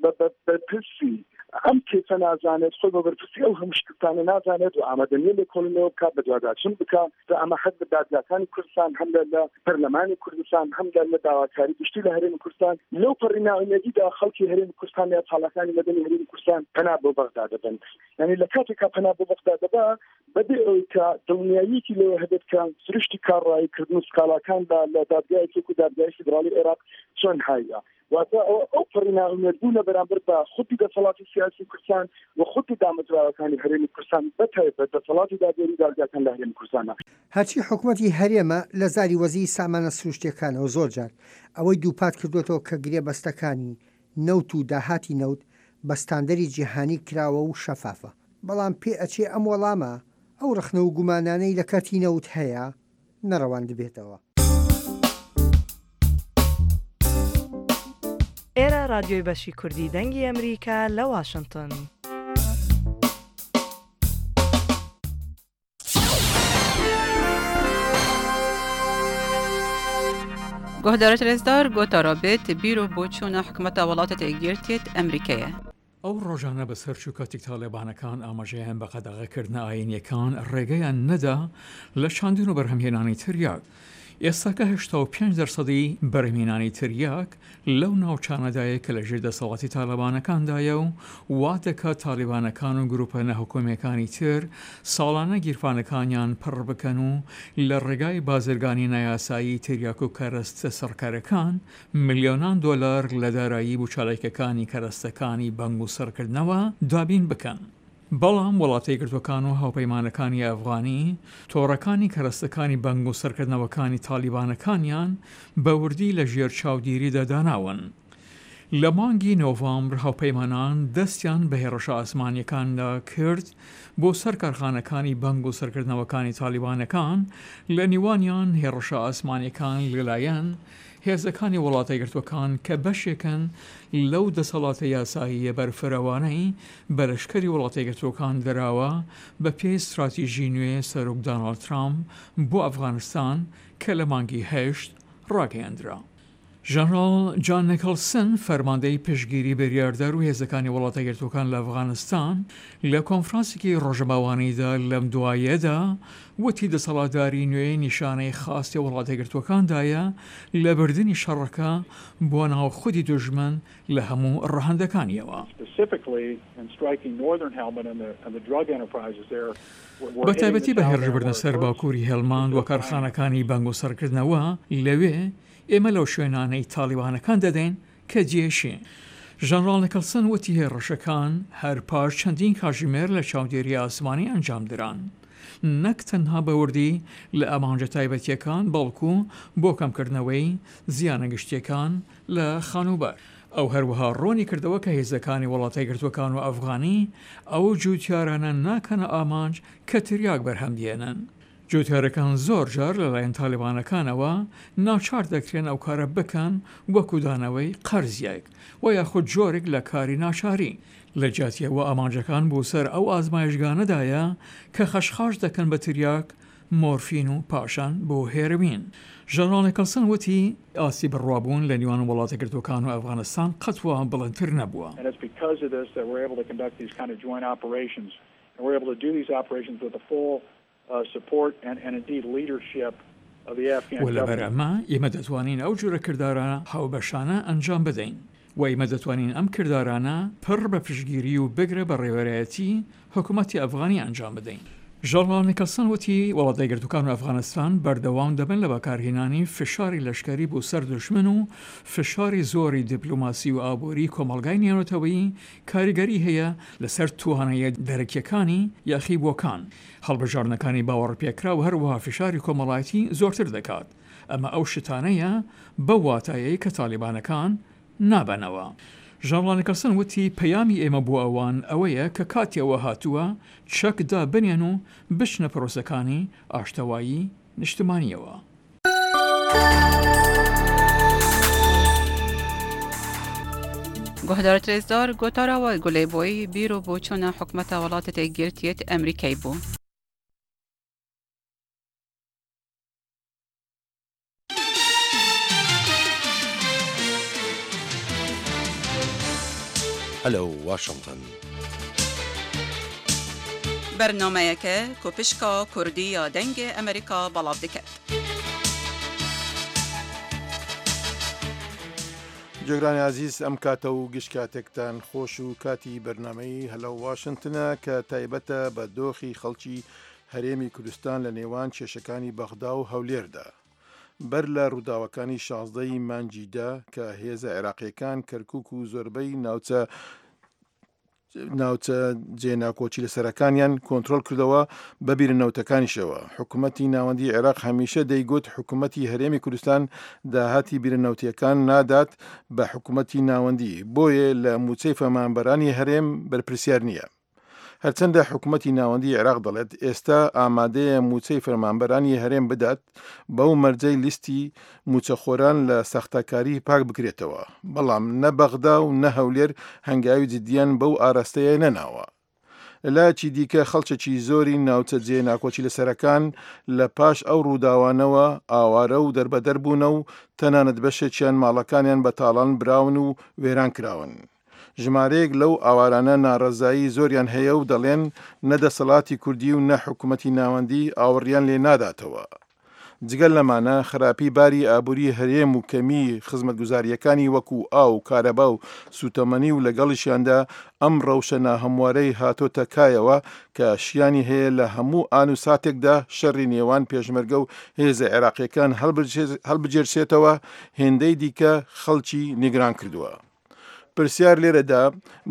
بە بەرپرسی ئەم کەیسە نازانێت، خۆی بە بەرپرسی ئەو هەموو شکستانە نازانێت و ئامادە نییە لێکۆڵینەوە بکات، بەدواداچوون بکات. جا ئەمە هەر لە دادگاکانی کوردستان، هەم لە لە پەرلەمانی کوردستان، هەم لە لە داواکاری گشتی لە هەرێمی کوردستان، لەو پەڕی نائومێدیدا خەڵکی هەرێمی کوردستان یا چالاکانی مەدەنی هەرێمی کوردستان پەنا بۆ بەغدا دەبەن. یانی لە کاتێکا پەنا بۆ بەغدا دەبا بەبێ ئەوەی کە دڵنیاییەکی لەوە هەبێت کە سروشتی کارڕاییکردن و سکاڵاکان لە لە دادگایەکی وەکوو دادگای فیدراڵی عێراق چۆن هایە. واتە ئەوە ئەو پەڕی نائومێدبوونە بەرامبەر بە خودی دەسەڵاتی سیاسی کوردستان و خودی دامەزراوەکانی هەرێمی کوردستان بە تایبەت دەسەڵاتی دادوەری و دادگاکان لە هەرێمی کوردستانە. هەرچی حکومەتی هەرێمە لە زاری وەزیری سامانە سروشتیەکانەوە زۆر جار ئەوەی دووپات کردووەتەوە کە گرێبەستەکانی نەوت و داهاتی نەوت بە ستاندەری جیهانی کراوە و شەفافە، بەڵام پێ ئەچێ ئەم وەڵامە ئەو ڕەخنە و گومانانەی لە کەرتی نەوت هەیە نەڕەواندبێتەوە. ئێرە ڕادیۆی بەشی کوردی دەنگی ئەمریکا لە واشنتن. گۆهدارێت رێزدار گۆتارا بێت بیر و بۆچوونە حکومەتە وڵاتێت یەکگرتیێت ئەمریکەیە. ئەو ڕۆژانە بەسەر چوو کاتێک تاڵیبانەکان ئاماژەیان بە قەدەغەکردنە ئایینیەکان ڕێگەیان نەدا لە چاندن و بەرهەمهێنانی تریاک. ئێستاکە 85 دەرسەدی بەرهەمهێنانی تریاک لەو ناوچانەدایە کە لەژێر دەسەڵاتی تاڵیبانەکاندایە و وا دەکات تاڵیبانەکان و گروپە ناحکومیەکانی تر ساڵانە گیرفانەکانیان پڕ بکەن و لە ڕێگای بازرگانی نایاسایی تریاک و کەرەستە سڕکەرەکان ملیۆنان دۆلار لە دارایی بو چالاکیەکانی کەرەستەکانی بەنگ و سڕکردنەوە دابین بکەن. بەڵام وڵاتەیەکگرتوەکان و هاوپەیمانەکانی ئەفغانی تۆڕەکانی کەرەستەکانی بەنگ و سڕکردنەوەکانی تاڵیبانەکانیان بە وردی لە ژێر چاودیریدا داناون. لە مانگی نۆڤامبر هاوپەیمانان دەستیان بە هێڕشە ئاسمانیەکاندا کرد بۆ سەر کارخانەکانی بەنگ و سڕکردنەوەکانی تاڵیبانەکان لە نیوانیان هێڕشە ئاسمانیەکان لەلایەن هێزەکانی وڵاتەیەکگرتووەکان کە بەشێکن لەو دەسەڵاتە یاساییە بەرفرەوانەی بە لەشکری وڵاتەیەکگرتووەکان دراوە بە پێی ستراتیژی نوێ سەرۆک داناڵد ترامپ بۆ ئەفغانستان کە لە مانگی هەشت ڕاگەیەندرا. ژەنراڵ جان نیکڵسن، فەرماندەی پشتگیری بریاردەر و هێزەکانی وڵاتەیەکگرتووەکان لە ئەفغانستان لە کۆنفرانسێکی ڕۆژنامەوانیدا لەم دواییەدا وتی دەسەڵاتداری نوێ نیشانەی خواستی وڵاتەیەکگرتووەکاندایە لە بردنی شەڕەکە بۆ ناو خودی دوژمن لە هەموو ڕەهەندەکانیەوە. بە تایبەتی بە هێرشبردنە سەر باکووری هێلماند و کارخانەکانی بەنگ و سڕکردنەوە لەوێ، ئێمە لەو شوێنانەی تاڵیبانەکان دەدەین کە جێشین. ژەنراڵ نیکڵسن وتی هێڕشەکان هەر پاش چەندین کاژیمێر لە چاودێری ئاسمانی ئەنجامدران، نەک تەنها بە وردی لە ئامانجە تایبەتییەکان بەڵکو بۆ کەمکردنەوەی زیانە گشتییەکان لە خانووبەر. ئەو هەروەها ڕوونی کردەوە کە هێزەکانی وڵاتەیەکگرتووەکان و ئەفغانی ئەو جووتیارانە ناکەنە ئامانج کە تریاک بەرهەم دێنن. جوتیارەکان زۆر جار لەلایەن تالیبانەکانەوە ناچار دەکرێن ئەو کارە بکەن وەکو دانەوەی قەرزیەک و یاخود جۆرێک لە کاری ناچاری. لە جیاتی ئەوە ئامانجەکان بۆ سەر ئەو ئازمایشگانەدایە کە خەشخاش دەکەن بە تریاک. مۆرفین و پاشان بۆ هێرۆین. ژەنراڵ نیکڵسن وتی، ئاستی بڕوابوون لە نێوان وڵاتەکگرتووەکان و ئەفغانستان قەت وا بڵندتر نەبووە. و لەبەر ئەمە ئێمە دەتوانین ئەو جۆرە کردارە هاوبەشانە ئەنجام بدەین و ئێمە دەتوانین ئەم کردارانە پڕ بە پشتگیری و بگرە بە ڕێبەرایەتی حکومەتی ئەفغانی ئەنجام بدەین. ژەنراڵ نیکلسن وتی، وڵاتە یەکگرتووەکان و ئەفغانستان بەردەوام دەبن لە بەکارهێنانی فشاری لەشکەری بۆ سەر دوژمن و فشاری زۆری دیپلۆماسی و ئابووری کۆمەڵگای نێونەتەوەیی کاریگەری هەیە لەسەر توانایە دەرەکیەکانی یاخیبووەکان، هەڵبژاردنەکانی باوەڕپێکراو هەروەها فشاری کۆمەڵایەتی زۆرتر دەکات. ئەمە ئەو شتانەیە بەو واتایەی کە تالیبانەکان نابەنەوە. ژەنراڵ نیکلسن وتی، پەیامی ئێمە بۆ ئەوان ئەوەیە کە کاتی ئەوە هاتووە چەک دابنێن و بچنە پرۆسەکانی ئاشتەوایی نیشتمانییەوە. گوهدارت رێزدار گۆتارا وە گولەی بۆی بیر و بۆچوونە حکومەتە وڵاتت یەکگرتیت ئەمریکای بوو. Hello Washington. بەرنامەیەکە کو پشکا کوردی یا دەنگێ ئەمریکا بەڵاڤ دکەت. گوێگرانی ئازیز ئەم کاتە و گشت کاتێکتان خۆش و کاتی بەرنامەی هەلۆ واشنتنە کە تایبەتە بە دۆخی خەڵکی هەرێمی کوردستان لە نێوان کێشەکانی بەغدا و هەولێردا. بەر لە ڕووداوەکانی 16 ی مانگی دە کە هێزە عێراقییەکان کەرکوک و زۆربەی ناوچە ناوچە جێ ناکۆکی لەسەرەکانیان کۆنترۆل کردەوە بە بیرە نەوتەکانیشەوە. حکومەتی ناوەندی عێراق هەمیشە دەیگوت حکومەتی هەرێمی کوردستان داهاتی بیرە نەوتیەکان نادات بە حکومەتی ناوەندی، بۆیە لە مووچەی فەرمانبەرانی هەرێم بەرپرسیار نییە. هەرچەندە حکومەتی ناوەندی عێراق دەڵێت ئێستا ئامادەیە مووچەی فەرمانبەرانی هەرێم بدات بەو مەرجەی لیستی مووچەخۆران لە ساختەکاری پاک بکرێتەوە، بەڵام نە بەغدا و نە هەولێر هەنگاوی جددیان بەو ئاراستەیە نەناوە. لەلایەکی دیکە خەڵکێکی زۆری ناوچە جێ ناکۆکی لەسەرەکان لە پاش ئەو ڕووداوانەوە ئاوارە و دەربەدەر بوونە و تەنانەت بەشێکیان ماڵەکانیان بە تاڵان براون و وێران کراون. ژمارەیەک لەو ئاوارانە ناڕەزایی زۆریان هەیە و دەڵێن نە دەسەڵاتی کوردی و نە حکومەتی ناوەندی ئاوڕیان لێ ناداتەوە. جگە لەمانە خراپی باری ئابووری هەرێم و کەمیی خزمەتگوزارییەکانی وەکو ئاو و کارەبا و سووتەمەنی و لەگەڵیشیاندا ئەم ڕەوشە ناهەموارەی هاتۆتە کایەوە کە شیانی هەیە لە هەموو ئان و ساتێکدا شەڕی نێوان پێشمەرگە و هێزە عێراقییەکان هەڵبگێرسێتەوە هێندەی دیکە خەڵکی نیگران کردووە. پرسیار لێرەدا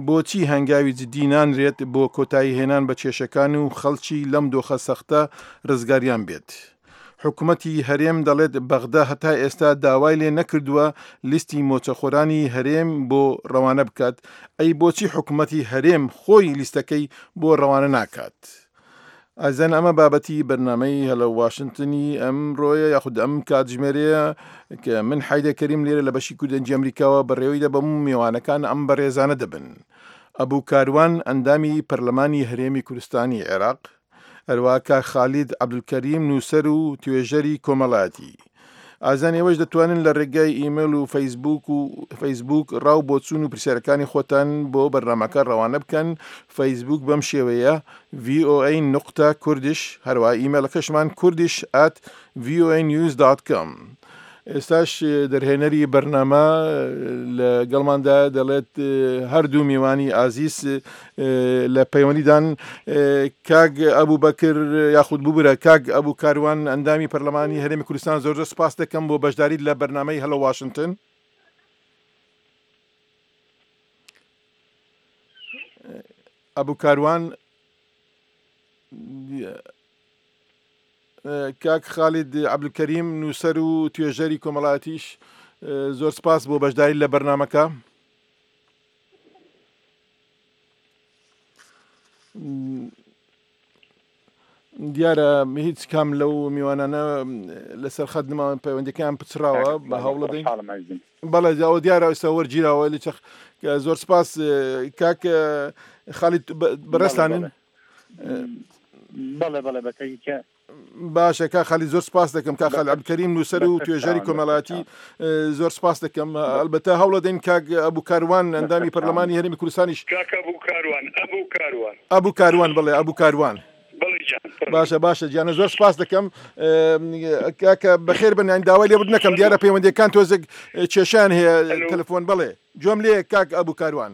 بۆچی هەنگاوی جدی نانرێت بۆ کۆتایی هێنان بە کێشەکان و خەڵکی لەم دۆخە سەختە رزگاریان بێت؟ حکومەتی هەرێم دەڵێت بەغدا هەتا ئێستا داوای لێ نەکردووە لیستی مۆچەخۆرانی هەرێم بۆ رەوانە بکات، ئەی بۆچی حکومەتی هەرێم خۆی لیستەکەی بۆ رەوانە ناکات؟ ئازیزان ئەمە بابەتی بەرنامەی هەلۆ واشنتنی ئەمڕۆیە یاخود ئەم کاتژمێرەیە کە من حیدە کەریم لێرە لە بەشی کوردەنجی ئەمریکاوە بەڕێوەی دەبەم و میوانەکان ئەم بەڕێزانە دەبن ئەبوو کاروان ئەندامی پەرلەمانی هەرێمی کوردستانی عێراق هەروە کاک خالید عەبدولکەریم نووسەر و توێژەری کۆمەڵایەتی ئازیزان ئێوەش دەتوانن لە ڕێگای ئیمەیڵ و فەیسبوک و فەیسبوک ڕا و بۆچوون و پرسیارەکانی خۆتان بۆ بەرنامەکە ڕەوانە بکەن فەیسبوک بەم شێوەیە VOA نقطە کوردش هەروە ئیمەیڵەکەشمان کوردش at voanews.com ئێستاش دەرهێنەری بەرنامە لە گەڵماندا دەڵێت هەردوو میوانی ئازیز لە پەیوەندیدان کاک ئەبوو بەکر یاخود ببورە کاک ئەبوو کاروان ئەندامی پەرلەمانی هەرێمی کوردستان زۆر زۆر سپاس دەکەم بۆ بەشداریت لە بەرنامەی هەلۆ واشنتن. ئەبوو کاروان کاک خالید عەبدولکەریم نووسەر و توێژەری کۆمەڵایەتیش زۆر سپاس بۆ بەشداری لە بەرنامەکە. دیارە هیچ کام لەو میوانانە لەسەر خەت نماون پەیوەندەکەیان پچڕاوە بە هەوڵە دەین بەڵێ ئەوە دیارە ئێستا وەرگیراوە لە چەخ زۆر سپاس کاک خالید بەڕێزتانن بەڵێ بەڵێ بەتەکە. باشە کا خالی زۆر سپاس دەکەم کا خال عبدکەریم نووسەر و توێژەری کۆمەڵاتی زۆر سپاس دەکەم ئەلبەتە هەوڵە دەین کاک ئەبوو کاروان ئەندامی پەرلەمانی هەرێمی کوردستانیش کاروان ئەبوو کاروان ئەبوو کاروان بڵێ ئەبوو کاروان باشە باشە گیانە زۆر سپاس دەکەم کاکە بەخێر بن یان داوای لێبوردن نەکەم دیارە پەیوەندیەکان تۆزێک کێشیان هەیە تەلەفۆن بەڵێ گوێم لێ کاک ئەبوو کاروان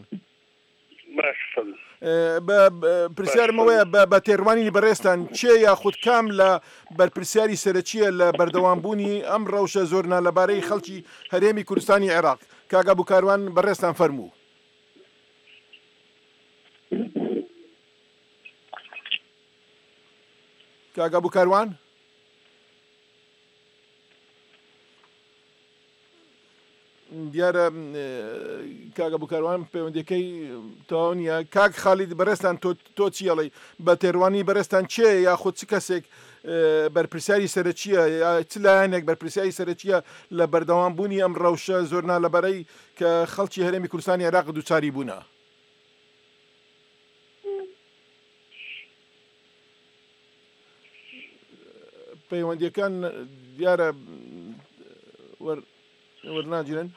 پرسیارم ئەوەیە بە تێڕوانینی بەڕێزتان کێ یاخود کام لە بەرپرسیاری سەرەکییە لە بەردەوامبوونی ئەم ڕەوشە زۆر نالەبارەی خەڵکی هەرێمی کوردستانی عێراق؟ کاک ئەبو کاروان بەڕێزتان فەرموو. کاک ئەبو کاروان؟ دیارە کاک ئەبو کاروان پەیوەندیەکەی تەواو نییە کاک خالید بەڕێزتان تۆ تۆ چی ئەڵێی بە تێڕوانی بەڕێزتان کێ یاخود چ کەسێک بەرپرسیاری سەرەکییە یا چ لایەنێک بەرپرسیاری سەرەکییە لە بەردەوام بوونی ئەم ڕەوشە زۆر نالەبارەی کە خەڵکی هەرێمی کوردستانی عێراق دووچاری بوونە؟ پەیوەندیەکان دیارە وەرناگیرن.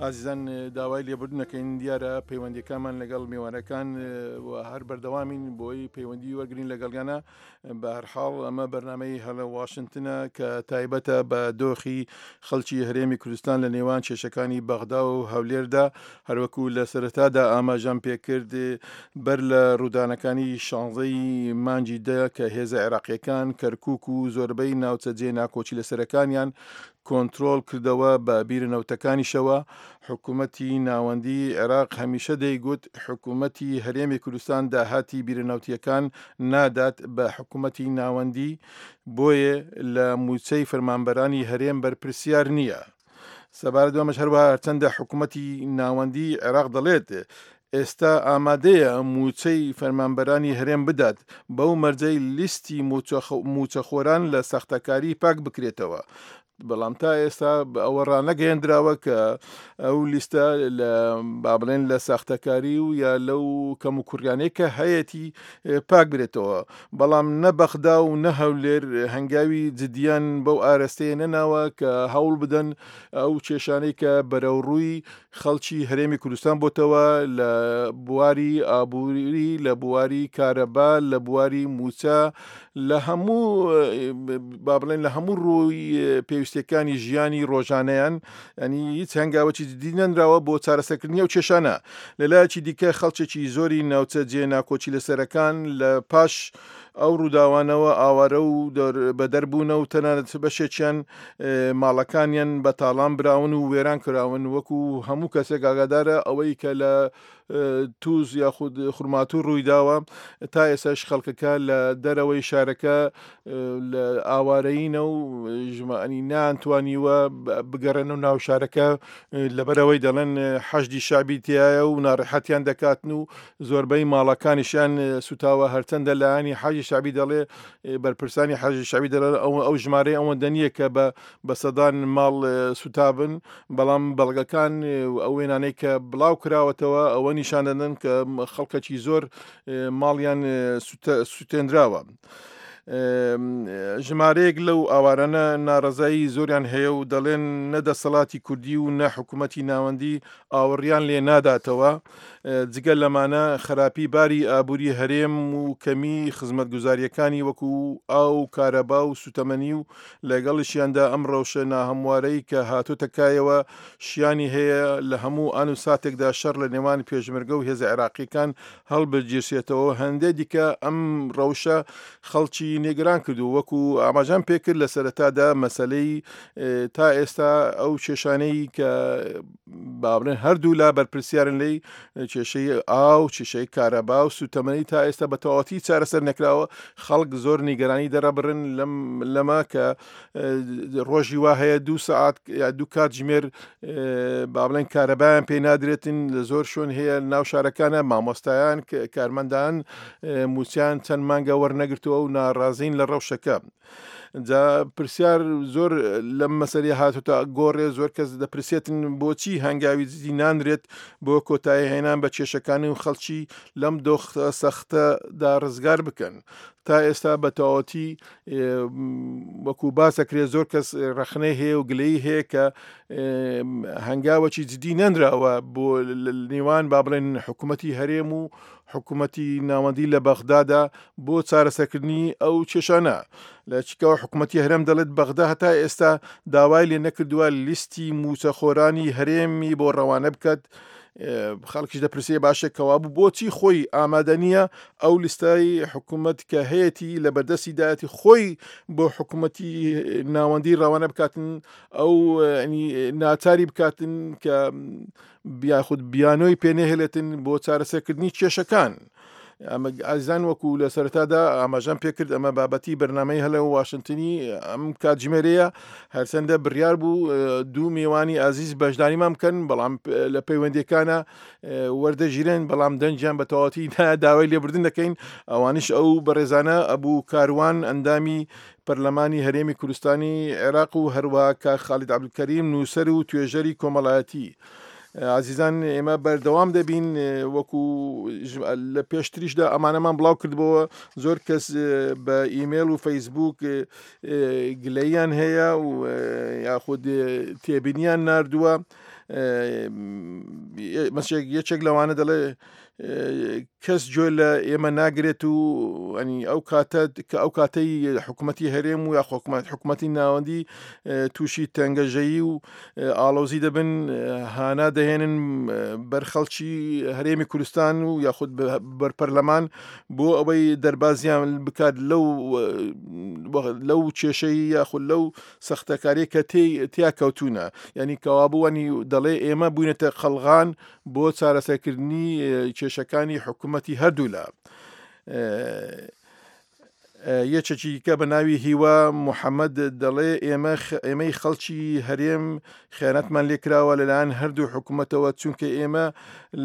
ئازیزان داوای لێبوردن دەکەین دیارە پەیوەندیەکانمان لەگەڵ میوانەکان و هەر بەردەوامین بۆی پەیوەندی وەرگین لەگەڵیانە بە هەرحاڵ ئەمە بەرنمەی هەلە واشنگتنە کە تایبەتە بە دۆخی خەڵکی هەرێمی کوردستان لە نێوان کێشەکانی بەغدا و هەولێردا هەروەکو لە سەرەتادا ئاماژەم پێکرد بەر لە ڕوودانەکانی شانزەی مانگی دە کە هێزە عێراقیەکان کەرکک و زۆربەی ناوچە جێ ناکۆکی لەسەرەکانیان کۆنترۆڵ کردەوە بە بیرە نەوتەکانیشەوە، حکومەتی ناوەندی عێراق هەمیشە دەیگوت حکومەتی هەرێمی کوردستان داهاتی بیرە نەوتیەکان نادات بە حکومەتی ناوەندی بۆیە لە موچەی فەرمانبەرانی هەرێم بەرپرسیار نییە. سەبارەت بەمەش هەروەها هەرچەندە حکومەتی ناوەندی عێراق دەڵێت ئێستا ئامادەیە مووچەی فەرمانبەرانی هەرێم بدات، بەو مەرجەی لیستی مووچەخۆران لە ساختەکاری پاک بکرێتەوە، بەڵام تا ئێستا ئەوە ڕانەگەیەندراوە کە ئەو لیستە لە با بڵێن لە ساختەکاری و یا لەو کەم و کوڕیانەی کە هەیەتی پاک برێتەوە بەڵام نە بەغدا و نە هەولێر هەنگاوی جدیان بەو ئارەستەیە نەناوە کە هەوڵ بدەن ئەو کێشانەی کە بەرەوڕووی خەڵکی هەرێمی کوردستان بۆتەوە لە بواری ئابووری لە بواری کارەبا لە بواری موچە لە هەموو با بڵێن لە هەموو ڕووی پێویستەکانی ژیانی ڕۆژانەیان ینی هیچ هەنگاوەکی جدی نەنراوە بۆ چارەسەرکردنی ئەو کێشانە لەلایەکی دیکە خەڵکێکی زۆری ناوچە جێ ناکۆکی لەسەرەکان لە پاش ئەو ڕووداوانەوە ئاوارە و بەدەر بوونە و تەنانەت بەشێکیان ماڵەکانیان بە تاڵان براون و وێران کراون وەکو هەموو کەسێک ئاگادارە ئەوەی کە لە توز یاخود خورماتوو ڕوویداوە تا ئێسش خەڵکەکە لە دەرەوەی شارەکە لە ئاوارەینە و ژمانی نانتوانیوە بگەڕێن و ناو شارەکە لەبەرەوەی دەڵێن حەشدی شعبی تایە و ناڕەحەتیان دەکاتن و زۆربەی ماڵەکانیشیان سوتاوە هەرچەندە لایەنی حەجی شعبی دەڵێ بەرپرسانی حەجی شعبی دەڵێن ئەو ئەو ژمارەی ئەوەندە نییە کە بە بە سەدان ماڵ سوتابن بەڵام بەڵگەکان ئەو وێنانەی کە بڵاو کراوەتەوە ئەوە نیشان دەدەن کە خەڵکەکی زۆر ماڵیان سوتێنراوە. ژمارەیەک لەو ئاوارانە ناڕەزایی زۆریان هەیە و دەڵێن نە دەسەڵاتی کوردی و نە حکوومەتی ناوەندی ئاوڕیان لێ ناداتەوە، جگە لەمانە خراپی باری ئابووری هەرێم و کەمی خزمەتگوزارییەکانی وەکو ئاو و کارەبا و سوتەمەنی و لەگەڵیشیاندا ئەم ڕەوشە ناهەموارەی کە هاتۆتە کایەوە شیانی هەیە لە هەموو ئان و ساتێکدا شەڕ لە نێوان پێشمەرگە و هێزە عێراقییەکان هەڵبگیرسێتەوە هەندێ دیکە ئەم ڕەوشە خەڵکی نێگران کردو وەکو ئاماژەم پێکرد لە سەرەتادا مەسەلەی تا ئێستا ئەو کێشانەی کە با بڵێن هەردوو لا بەرپرسیارن لی کێشەی ئاو کێشەی کارەبا و سوتەمەنی تا ئێستا بە تەواوەتی چارەسەر نەکراوە خەڵک زۆر نیگەرانی دەرەبڕن لەم لەمە کە ڕۆژی وا هەیە دوو سەعات یا دوو کاتژمێر با بڵێن کارەبایان پێ نادرێتن لە زۆر شوێن هەیە ناو شارەکانە مامۆستایان کارمەندان موچیان چەند مانگە وەرنەگرتووە و ناڕازین لە ڕەوشەکە. جا پرسیار زۆر لەم مەسەری هاتوتە گۆڕێ زۆر کەس دەپرسێتن بۆچی هەنگاوی جدی نانرێت بۆ کۆتایی هێنان بە کێشەکانی و خەڵکی لەم دۆخ سەختەدا ڕزگار بکەن تا ئێستا بە تەواوەتی وەکو باسەکرێ زۆر کەس ڕەخنەی هەیە و گلەی هەیە کە هەنگاوەکی جدی نەنراوە بۆ نێوان با بڵێن حکوومەتی هەرێم و حکوومەتی ناوەندی لە بەغدادا بۆ چارەسەکردنی ئەو کێشانە لە چیکەوە حکوومەتی هەرێم دەڵێت بەغدا هەتا ئێستا داوای لێ نەکردووە لیستی موچەخۆرانی هەرێمی بۆ ڕەوانە بکات خەڵکیش دەپرسێ باشە کەوابوو بۆچی خۆی ئامادە نییە ئەو لیستای حکوومەت کە هەیەی لە بەردەستی دایەتی خۆی بۆ حکوومەتی ناوەندی ڕەوانە بکاتن ئەو ناچاری بکاتن کە یاخود بیانۆی پێنەهێلێتن بۆ چارەسەرکردنی کێشەکان. ئەمە ئازیزان وەکو لە سەرەتادا ئاماژەم پێکرد ئەمە بابەتی بەرنامەی هەلە واشنتنی ئەم کاتژمێرەیە هەرچەندە بڕیار بوو دوو میوانی ئازیز بەشداریمان بکەن بەڵام لە پەیوەندیەکانە وەردەگیرێن بەڵام دەنگیان بە تەواوەتی داوای لێبوردن دەکەین ئەوانیش ئەو بەڕێزانە ئەبوو کاروان ئەندامی پەرلەمانی هەرێمی کوردستانی عێراق و هەروە کاک خالید عەبدولکەریم نووسەر و توێژەری کۆمەڵایەتی. ئازیزان ئێمە بەردەوام دەبین وەکو لە پێشتریشدا ئەمانەمان بڵاو کردبەوە زۆر کەس بە ئیمێل و فەیسبوک گلەیان هەیە و یاخود تێبینیان نردووە. مەسێک یەکێک لەوانە دەڵێ کەس گوێ لە ئێمە ناگرێت و ئەنی ئەو کاتە کە ئەو کاتەی حکوومەتی هەرێم و یاخۆکومەت حکوومەتی ناوەندی تووشی تەنگەژەیی و ئاڵۆزی دەبن هانا دەهێنن بەر خەڵکی هەرێمی کوردستان و یاخود بەر پەرلەمان بۆ ئەوەی دەربازیان بکات لەو لەو کێشەی یاخود لەو سەختەکاری کە تیا کەوتونە ینی کەوابووانی دەڵێ ئێمە بووینەتە قەلغان بۆ چارەسەرکردنی کێشەکانی حکوومەتی هەردوولا. یەکێکی دیکە بە ناوی هیوا محەممەد دەڵێ ئێمە ئێمەی خەڵکی هەرێم خیانەتمان لێکراوە لەلایەن هەردوو حکوومەتەوە چونکە ئێمە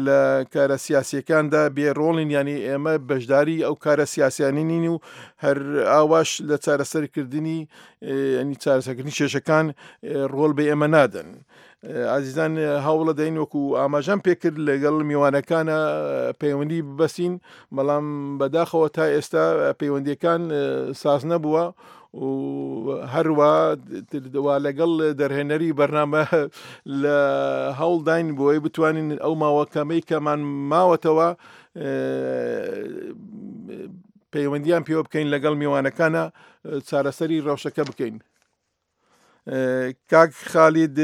لە کارە سیاسیەکاندا بێڕۆڵین ینی ئێمە بەشداری ئەو کارە سیاسیانی نین و هەر ئاواش لە چارەسەرکردنی ینی چارەسەکردنی کێشەکان ڕۆڵ بە ئێمە نادەن. ئازیزان هەوڵە دەین وەکو ئاماژەم پێکرد لەگەڵ میوانەکانە پەیوەندی ببەسین بەڵام بەداخەوە تا ئێستا پەیوەندیەکان ساز نەبووە و هەروە وا لەگەڵ دەرهێنەری بەرنامە لە هەوڵداین بۆی بتوانین ئەو ماوە کەمەی کەمان ماوەتەوە پەیوەندیان پێوە بکەین لەگەڵ میوانەکانە چارەسەری ڕەوشەکە بکەین. کاک خالید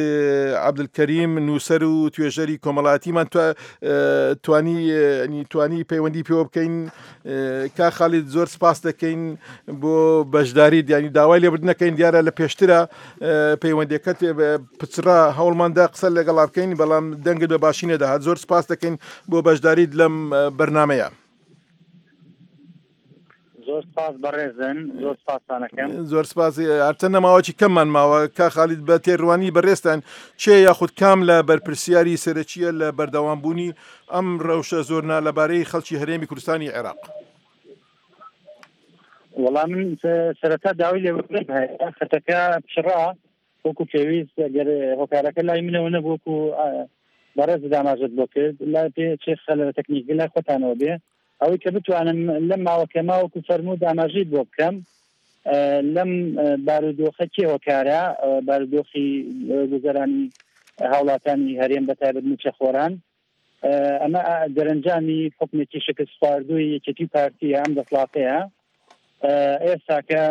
عەبدولکەریم نووسەر و توێژەری کۆمەڵاتیمان توانی توانی پەیوەندی پێوە بکەین کا خالید زۆر سپاس دەکەین بۆ بەشداری دیانی داوای لێبردنەکەین دیارە لە پێشترە پەیوەندەکەت پچڕا هەوڵماندا قسە لەگەڵا بکەین بەڵام دەنگت بە باشی نەدەهات زۆر سپاس دەکەین بۆ بەشداریت لەم بەرنمەیە. زۆر سپاس بەڕێزن زۆر سپاستانەکەم زۆر سپاس هەرچەندە ماوەکی کەممان ماوە کا خالید بە تێڕوانی بەڕێزتان چێ یاخود کام لە بەرپرسیاری سەرەکیە لە بەردەوامبوونی ئەم ڕەوشە زۆر نالەبارەی خەڵکی هەرێمی کوردستانی عێراق؟ وەڵام من سەرەتا داوای لێبوردن هەیە خەتەکە پچڕا وەکو پێویست گەر هۆکارەکە لای منەوە نەبوو وەکو بەڕێزت ئاماژەت بۆ کرد لای پێ چێ خەلەرە تەکنیکی لای خۆتانەوە بێ ئەوەی کە بتوانم لەم ماوە کەمە وەکو فەرموود ئاماژەی بۆ بکەم لەم بارودۆخە کێ هۆکارە بارودۆخی گوزەرانی هاوڵاتانی هەرێم بە تایبەت مووچەخۆران ئەمە دەرەنجامی حکومێکی شکست خواردووی یەکێتی پارتیە ئەم دەسڵاتەیە ئێستاکە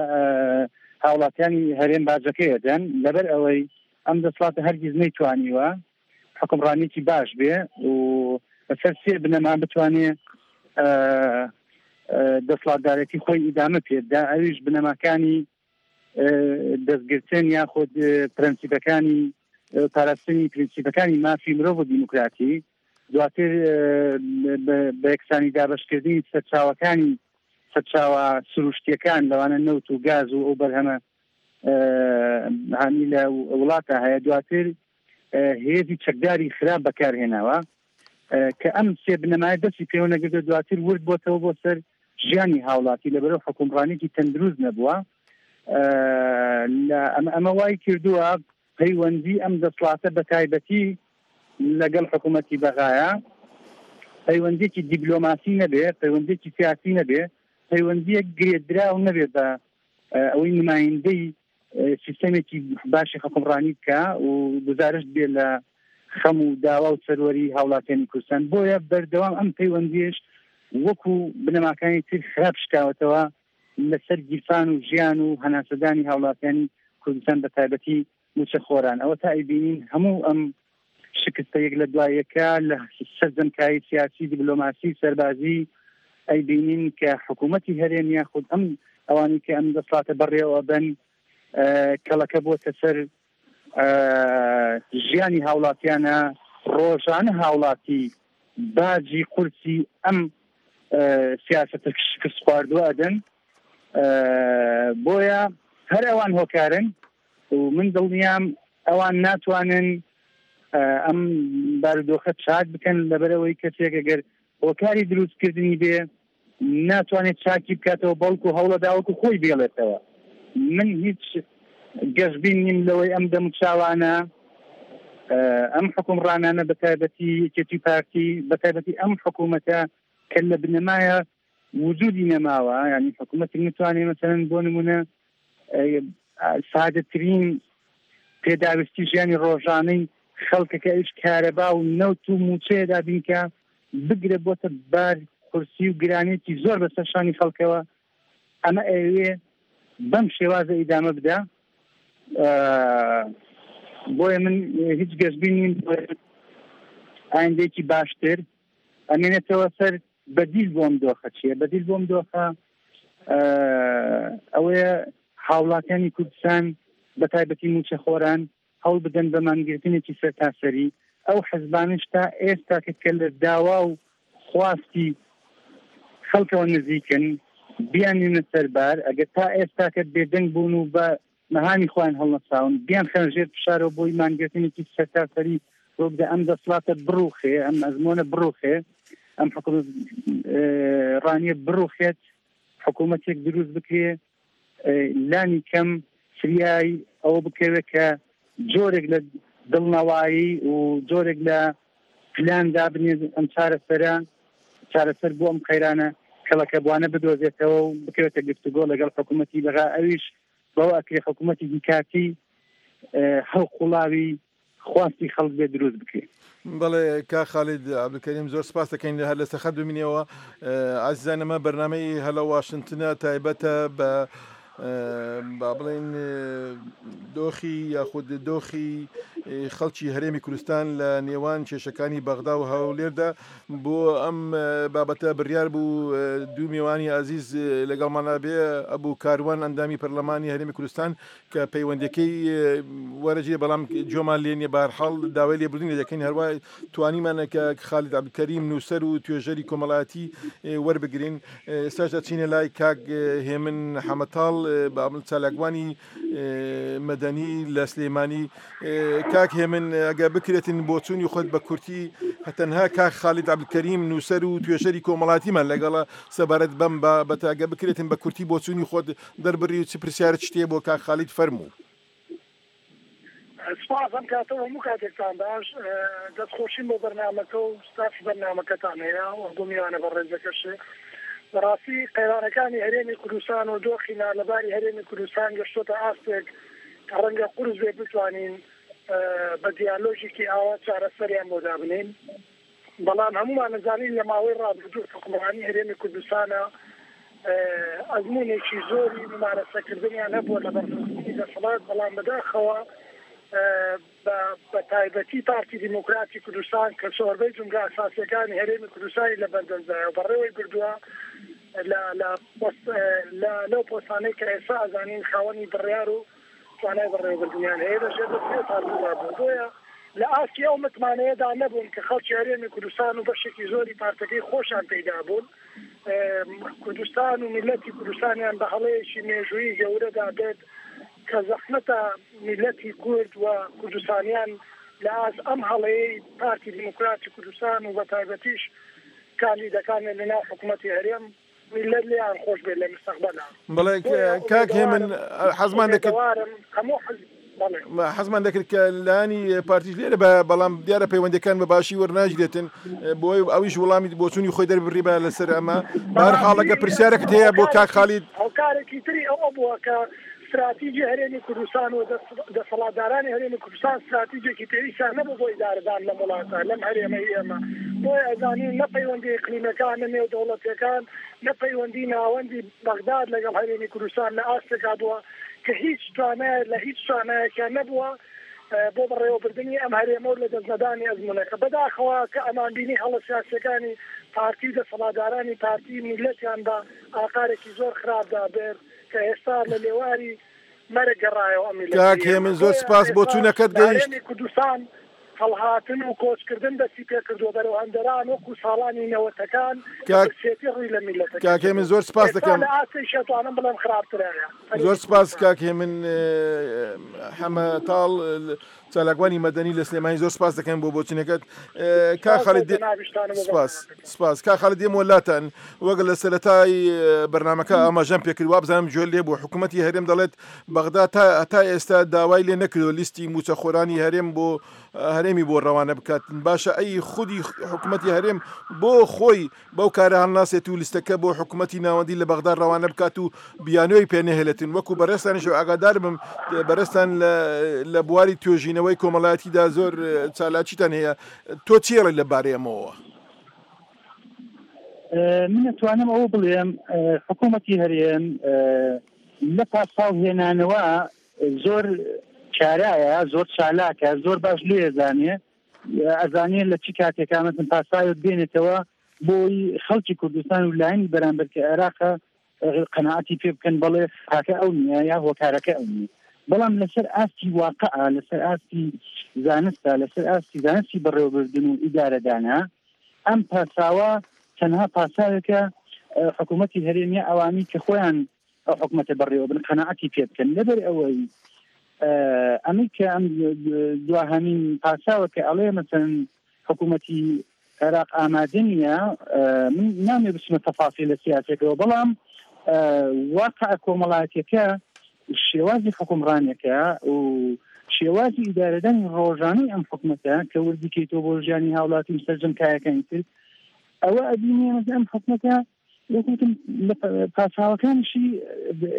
هاوڵاتیانی هەرێم باجەکەی ئەدەن لەبەر ئەوەی ئەم دەسڵاتە هەرگیز نەیتوانیوە حکومڕانیکی باش بێ و بەسەر سێ بنەما بتوانێ دەسڵاتدارێتی خۆی ئیدامە پێبدا ئەویش بنەماکانی دەستگرتن یاخود پرەنسیپەکانی پاراستنی پرینسیپەکانی مافی مرۆڤ و دیموکراتی دواتر بە یەکسانی دابەشکردنی سەرچاوەکانی سەرچاوە سروشتیەکان لەوانە نەوت و گاز و ئەو بەرهەمە هانی لە وڵاتە هەیە دواتر هێزی چەکداری خراپ بەکارهێناوە کە ئەم سێ بنەمایە دەستی پێوە نەگرتو دواتر ورد بۆتەوە بۆ سەر ژیانی هاوڵاتی لەبەرەوە حکومڕانێکی تەندروست نەبووە ئەمە وای کردووە پەیوەندی ئەم دەسڵاتە بە تایبەتی لەگەڵ حکوومەتی بەغایە پەیوەندێکی دیبلۆماسی نەبێ پەیوەندێکی سیاسی نەبێ پەیوەندیەک گرێدراو نەبێ بە ئەوەی نمایندەی سیستەمێکی باشی حکومڕانی بکە و گزارشت بێ لە خەم و داوا و سەروەری هاوڵاتیانی کوردستان بۆیە بەردەوام ئەم پەیوەندیش وەکو بنەماکانی تر خراپ شکاوەتەوە لەسەر گیرفان و ژیان و هەناسەدانی هاوڵاتیانی کوردستان بە تایبەتی مووچەخۆران ئەوە تا ئەیبینین هەموو ئەم شکستە یەک لە دوای یەکە لە سەرجەم کایەی سیاسی، دیبلۆماسی، سەربازی ئەیبینین کە حکوومەتی هەرێم یاخود ئەم ئەوانەی کە ئەم دەسڵاتە بەڕێوە ئەبەن کەڵەکە بۆتە سەر ژیانی هاوڵاتیانە ڕۆژانە هاوڵاتی باجی قورسی ئەم سیاسەتە شکست خواردووە ئەدەن بۆیە هەر ئەوان هۆکارن و من دڵنیام ئەوان ناتوانن ئەم بارودۆخە چاک بکەن لەبەرەوەی کەسێک ئەگەر هۆکاری دروستکردنی بێ ناتوانێت چاکی بکاتەوە بەڵکو هەوڵە داوەکو خۆی بێڵێتەوە من هیچ گەشبین نیم لەوەی ئەم دەموچاوانە ئەم حکومڕانانە بە تایبەتی یەکێتی پارتی بە تایبەتی ئەم حکوومەتە کە لە بنەمایە وجودی نەماوە ینی حکوومەتی نتوانێت مەسەرەن بۆ نمونە سادەترین پێداویستی ژیانی ڕۆژانەی خەڵکەکە ئەویش کارەبا و نەوت و مووچەیە دابین کا، بگرە بۆتە بار قورسی و گرانیەکی زۆر بەسەر شانی خەڵکەوە، ئەمە ئەیەوێ بەم شێوازە ئیدامە بدا، بۆیە من هیچ گەشبین نیم بۆ ئایندەیەکی باشتر، ئەمێنێتەوە سەر بەدیل بۆ ئەم دۆخە چییە؟ بەدیل بۆ ئەم دۆخە ئەوەیە هاوڵاتیانی کوردستان بە تایبەتی مووچەخۆران هەوڵ بدەن بە مانگرتنێکی سەرتاسەری ئەو حزبانەش تا ئێستا کە کە لە داوا و خواستی خەڵکەوە نزیکن بیاننێنە سەر بار، ئەگەر تا ئێستا کە بێدەنگ بوون و بە مەهامی خۆیان هەڵنەساون بیانخەنە ژێر فشارەوە بۆی مانگرتنێکی سەرتاسەری ڕووبدا ئەم دەسڵاتە بڕوخێ، ئەم ئەزمۆنە بڕوخێ، ئەم حکومەت ڕانیە بڕوخێت، حکوومەتێک دروست بکرێ لانی کەم فریای ئەوە بکەوێت کە جۆرێک لە دڵنەوایی و جۆرێک لە پلان دابنێت ئەم چارەسەرە چارەسەر بۆ ئەم قەیرانە کەڵەکەبوانە بدۆزێتەوە و بکەوێتە گفتوگۆ لەگەڵ حکوومەتی بەغا ئەویش بەوە ئەکرێ حکوومەتێکی کاتی هەڵقوڵاوی خواستی خەڵک بێ دروست بکرێ. بەڵێ کاک خالید عەبدولکەریم زۆر سپاس دەکەین هەر لەسەر خەت بمینەوە ئازیزان ئەمە بەرنامەی هەلە واشنتنە تایبەتە بە با بڵێین دۆخی یاخود دۆخی خەڵکی هەرێمی کوردستان لە نێوان کێشەکانی بەغدا و هەولێردا بۆ ئەم بابەتە بڕیار بوو دوو میوانی ئازیز لەگەڵمانە بێ ئەبوو کاروان ئەندامی پەرلەمانی هەرێمی کوردستان کە پەیوەندەکەی وەرەجێ بەڵام جۆمان لێ نیە بارحاڵ داوای لێبوردن لێ دەکەین هەروە توانیمانە کە خالید عەبدولکەریم نووسەر و توێژەری کۆمەڵایەتی وەربگرین ئێستاش دەچینە لای کاک هێمن حەمەتاڵ بابل چالاکوانی مەدەنی لە سلێمانی کاک هێمن ئەگە بکرێتن بۆچوونی خۆت بە کورتی تەنها کاک خالید عەبدولکەریم نووسەر و توێژەری کۆمەڵاتیمان لەگەڵە سەبارەت بەم بابەتە ئەگە بکرێتن بە کورتی بۆچوونی خۆت دەربڕی و چ پرسیارت شتێ بۆ کاک خالید فەرموو. سپاس ئەم کاتە و هەموو کاتێکتان باش. دەست خۆشیم بۆ بەرنامەکە و ستافی بەرنامەکەتان هەیە و بۆ میوانە بەڕێزەکەشێ. بەڕاستی قەیرانەکانی هەرێمی کوردستان و دۆخی نالەباری هەرێمی کوردستان گەشتۆتە ئاستێک کە ڕەنگە قورس بێت بتوانین بە دیالۆگێکی ئاوا چارەسەریان بۆ دابنێین. بەڵام هەموومان ئەزانین لە ماوەی ڕابردوو حوکمڕانی هەرێمی کوردستانە ئەزموونێکی زۆری ممارەسەکردنیان هەبووە لە بەڕێوەبردنی دەسەڵات، بەڵام بەداخەوە بە تایبەتی پارتی دیموکراتی کوردستان کە زۆربەی جومگە ئەساسییەکانی هەرێمی کوردستانی لە بەردەستدایە و بەڕێوەی بردووە لە لەو پۆستانەی کە ئێستا ئەزانین خاوەنی بڕیار و توانای بەڕێوەبردنیان هەیە لە ژێر دەستی ئەو پارتەدا بوون، بۆیە لە ئاستی ئەو متمانەیەدا نەبوون کە خەڵکی هەرێمی کوردستان و بەشێکی زۆری پارتەکەی خۆشیان پێیدا بوون، کوردستان و میللەتی کوردستانیان بە هەڵەیەکی مێژوویی گەورەدا برد کە زەحمەتە میللەتی کورد و کوردستانیان لە ئاست ئەم هەڵەیەی پارتی دیموکراتی کوردستان و بەتایبەتیش کاندیدەکانیان لەناو حکومەتی هەرێم میللەت لێیان خۆش بێت لە مستەقبەلا. بەڵێ بۆیە کاک هێمن ئومێدەوارم حەزمان دەکرد ئومێدەوارم هەموو حزب بەڵێ. حەزمان دەکرد کە لایەنی پارتیش لێرە بە بەڵام دیارە پەیوەندەکان بە باشی وەرناگیرێتن بۆی ئەویش وەڵامی بۆچوونی خۆی دەربڕی بە لەسەر ئەمە بەهەر بەڕاستی حاڵەکە پرسیارێکت هەیە بۆ کاک هۆکارێکی خالید هۆکارێکی تری ئەوە بووە کە ستراتیجی هەرێمی کوردستان و دەسەڵاتدارانی هەرێمی کوردستان ستراتیجێکی پێویستیان نەبوو بۆ ئیدارەدان لەم وڵاتە، لەم هەرێمەی ئێمە. بۆیە ئەزانین نە پەیوەندی ئیقلیمەکان، نە نێودەوڵەتیەکان، نە پەیوەندی ناوەندی بەغداد لەگەڵ هەرێمی کوردستان لە ئاستێکا بووە کە هیچ توانایە لە هیچ توانایەکیان نەبووە بۆ بەڕێوەبردنی ئەم هەرێمە و لەدەستنەدانی ئەزموونەکە. بەداخەوە کە ئەمانبینی هەڵە سیاسیەکانی پارتی و دەسەڵاتدارانی پارتی میللەتیان بە ئاقارێکی زۆر خراپدا برد. کە ئێستا لە لێواری مەرگ گەڕایەوە ئەم میللەتەی کاک ئێمە. هێمن زۆر بۆیە سپاس ئێستا بۆچوونەکەت لە گەیشت. هەرێمی کوردستان هەڵهاتن و کۆچکردن دەستی پێکردووە بەرەو هەندەران وەکو ساڵانی نەوەتەکان کە کاک برسێتی ڕووی لە میللەتەکە کاک هێمن کردووە. زۆر سپاس ئێستا دەکەم. لە ئاستێکی ئەتوانم بڵێم خراپترایە زۆر هەرێمی سپاس کوردستان. کاک هێمن حەمە تاڵ چالاکوانی مەدەنی لە سلێمانی زۆر سپاس دەکەین بۆ بۆچونەکەت کا سپاس بۆ خالید جەنابیشتان و بۆ سپاس بەرنامەکەتان. سپاس کا خالید دێمەوە لاتان وەک لە سەرەتای بەرنامەکە ئاماژەم پێکرد وابزانم گوێ لێ بوو حکوومەتی هەرێم دەڵێت بەغدا تا تا ئێستا داوای لێ نەکردووە لیستی مووچەخۆرانی هەرێم بۆ هەرێمی هەرێمی بۆ ڕەوانە بکات باشە ئەی خودی حکومەتی هەرێم بۆ خۆی بەو کارە هەڵناسێت و لیستەکە بۆ حکومەتی ناوەندی لە بەغدا ڕەوانە بکات و بیانووی پێ نەهێلێتن وەکو بەڕێزتانیش ئاگادار بم بەڕێزتان لە بواری توێژینەوەی کۆمەڵایەتیدا زۆر چالاکیتان هەیە تۆ چی ئەڵێی لە بارەی ئەمەوە؟ من ئەتوانم ئەوە بڵێم حکوومەتی هەرێم لە پاساو هێنانەوە زۆر کارایە زۆر چالاکە زۆر باش لێ زانێ ئەزانێ لە چ کاتێکا مەسن پاساوێک بێنێتەوە بۆی خەڵکی کوردستان و لایەنی بەرامبەر کە عێراقە قەناعەتی پێ بکەن بەڵێ خاکە ئەو نییە یا هۆکارەکە ئەو نییە بەڵام لەسەر ئاستی واقع لەسەر ئاستی زانستە لەسەر ئاستی زانستی بەڕێوەبردن و ئیدارەدانە ئەم پاساوە تەنها پاساوێکە حکوومەتی هەرێمیە ئەوانی کە خۆیان ئەو حکومەتە بەڕێوە بن قەناعەتی پێ بکەن لەبەر ئەوەی ئەمەی کە ئەم دواهەمین پاساوە کە ئەڵێ مەسەن حکوومەتی عێراق ئامادە نییە من نامێ بچمە تەفاسی لە سیاسەکەەوە بەڵام واقع کۆمەڵایەتەکە شێوازی حکومڕانەکە و شێوازی ئیدارەدانی ڕۆژانەی ئەم حکومەتە کە وردیکەیتەوە بۆ ژیانی هاوڵاتی و سەرجەم کایەکانی تر ئەوە ئەبینێ ئەم حکومەتە وەک وتم لە پاساوەکانیشی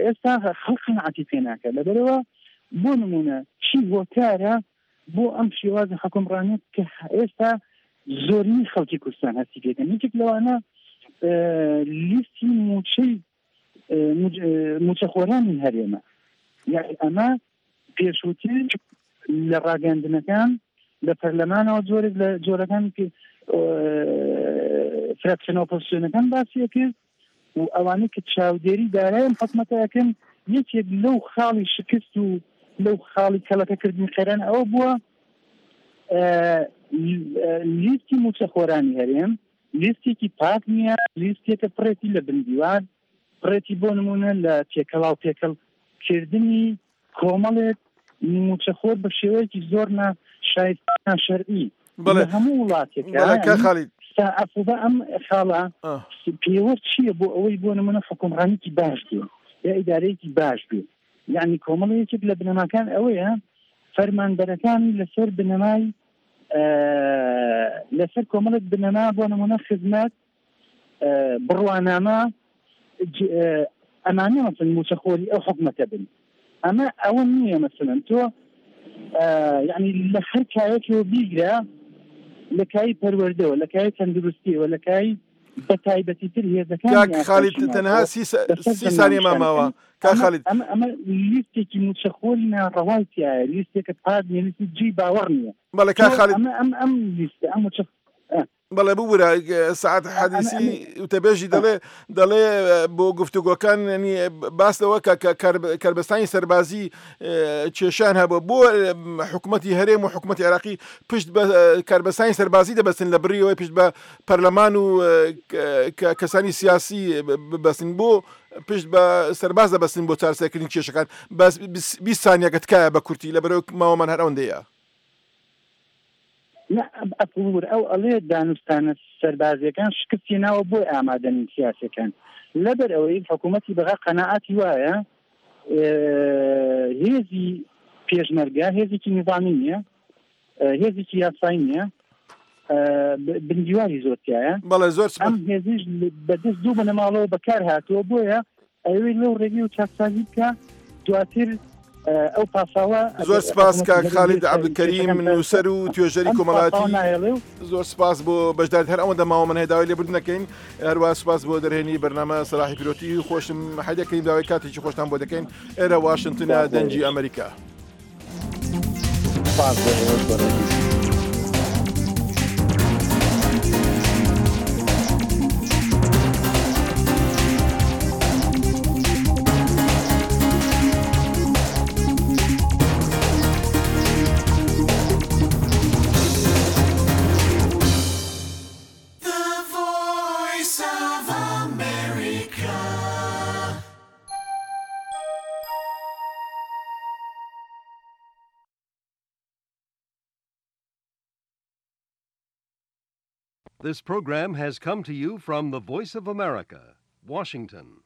ئێستا خەڵک قەناعەتی پێ ناکات لەبەرەوە بۆ نمونە چی هۆکارە بۆ ئەم شێوازی حکومڕانیە کە ئێستا زۆرینەی خەڵکی کوردستان هەستی پێکەن یەکێک لەوانە لیستی موچەی موچەخۆرانی هەرێمە یعنی ئەمە پێشووتر لە ڕاگەندنەکان لە پەرلەمانەوە جۆرێک لە جۆرەکان فراکسیۆنە ئۆپۆزسیۆنەکان باسی ئەکرد و ئەوانەی کە چاودێری دارای ئەم حکومەتە ئەکەن یەکێک لەو خاڵی شکست و لەو خاڵی کەڵەکەکردنی قەیران ئەوە بووە لیستی موچەخۆرانی هەرێم لیستێکی پاک نییە لیستێکە پڕێتی لە بندیوار پڕێتی بۆ نموونە لە تێکەڵاو پێکەڵ کردنی کۆمەڵێک مووچەخۆر بە شێوەیەکی زۆر نا شایستە ناشەرعی بەڵێ لە هەموو وڵاتێک بەڵێ کاک خالید سا عەفوبە ئەم خاڵە پێوەر چییە بۆ ئەوەی بۆ نموونە حوکمڕانیکی باش بێ یا ئیدارەیەکی باش بێ یعنی کۆمەڵی یەکێک لە بنەماکان ئەوەیە فەرمانبەرەکانی لەسەر بنەمای لەسەر کۆمەڵێک بنەما بۆ نموونە خزمەت بڕوانامە ئەمانە مەسن موچەخۆری ئەو حکومەتە بن ئەمە ئەوە نییە مەسەلەن تۆ یعنی لە هەر کایەکەوە بیگرە لە کای پەروەردەوە لە کای تەندروستیەوە لە کای بە تایبەتی تر هێزەکان کاک خالید تەنها سی سانیە ماماوە کاک خالید ئەمە ئەمە لیستێکی موچەخۆری ناڕەوای تایە لیستێکە پاک نییە لیستی جێی باوەڕ نییە بەڵێ کاک خالید ئەمە ئەم ئەم لیستە ئەم موچە بەڵێ ببورە سەعد حەدیسی وتەبێژی دەڵێ دەڵێ بۆ گفتوگۆکان ینی باس لەوە کە کەربەستانی سەربازی کێشان هەبوو بۆ حکوومەتی هەرێم و حکوومەتی عێراقی پشت بە کاربەستانی سەربازی دەبەستن لە بڕیەوەی پشت بە پەرلەمان و کەسانی سیاسی ببەستن بۆ پشت بە سەرباز دەبەستن بۆ چارەسەرکردنی کێشەکان بەس 20 سانیەکە تکایە بە کورتی لە بەرەو ماوەمان هەر ئەوەندەیە. نا ئەپوور ئەو ئەڵێ دانوستانە سەربازیەکان شکست هێناوە بۆی ئامادە نین سیاسیەکان لەبەر ئەوەی حکوومەتی بەغا قەناعەتی وایە هێزی پێشمەرگە هێزێکی نیزامی نییە هێزێکی یاسایی نییە بندیواری زۆر تایە بەڵێ زۆر ئەم هێزیش بەدەست دوو بنەماڵەوە بەکار هاتووە بۆیە ئەوەی لەو ڕێگەی و چاکسازی بکە دواتر ئەو پاساوە زۆر سپاس کاک خالید عەبدولکەریم نووسەر و توێژەری کۆمەڵایەتی زۆر سپاس بۆ بەشداریت هەر ئەوەندە ماوە من هەیە داوای لێبوردن دەکەین هەروە سپاس بۆ دەرهێنی بەرنامە سەلاحی پیرۆتی خۆشم حەدەکەین داوای کاتێکی خۆشتان بۆ دەکەین ئێرە واشنتنە دەنگی ئەمریکا. سپاس بۆ ئێوەش بەڕێزی. This program has come to you from the Voice of America, Washington.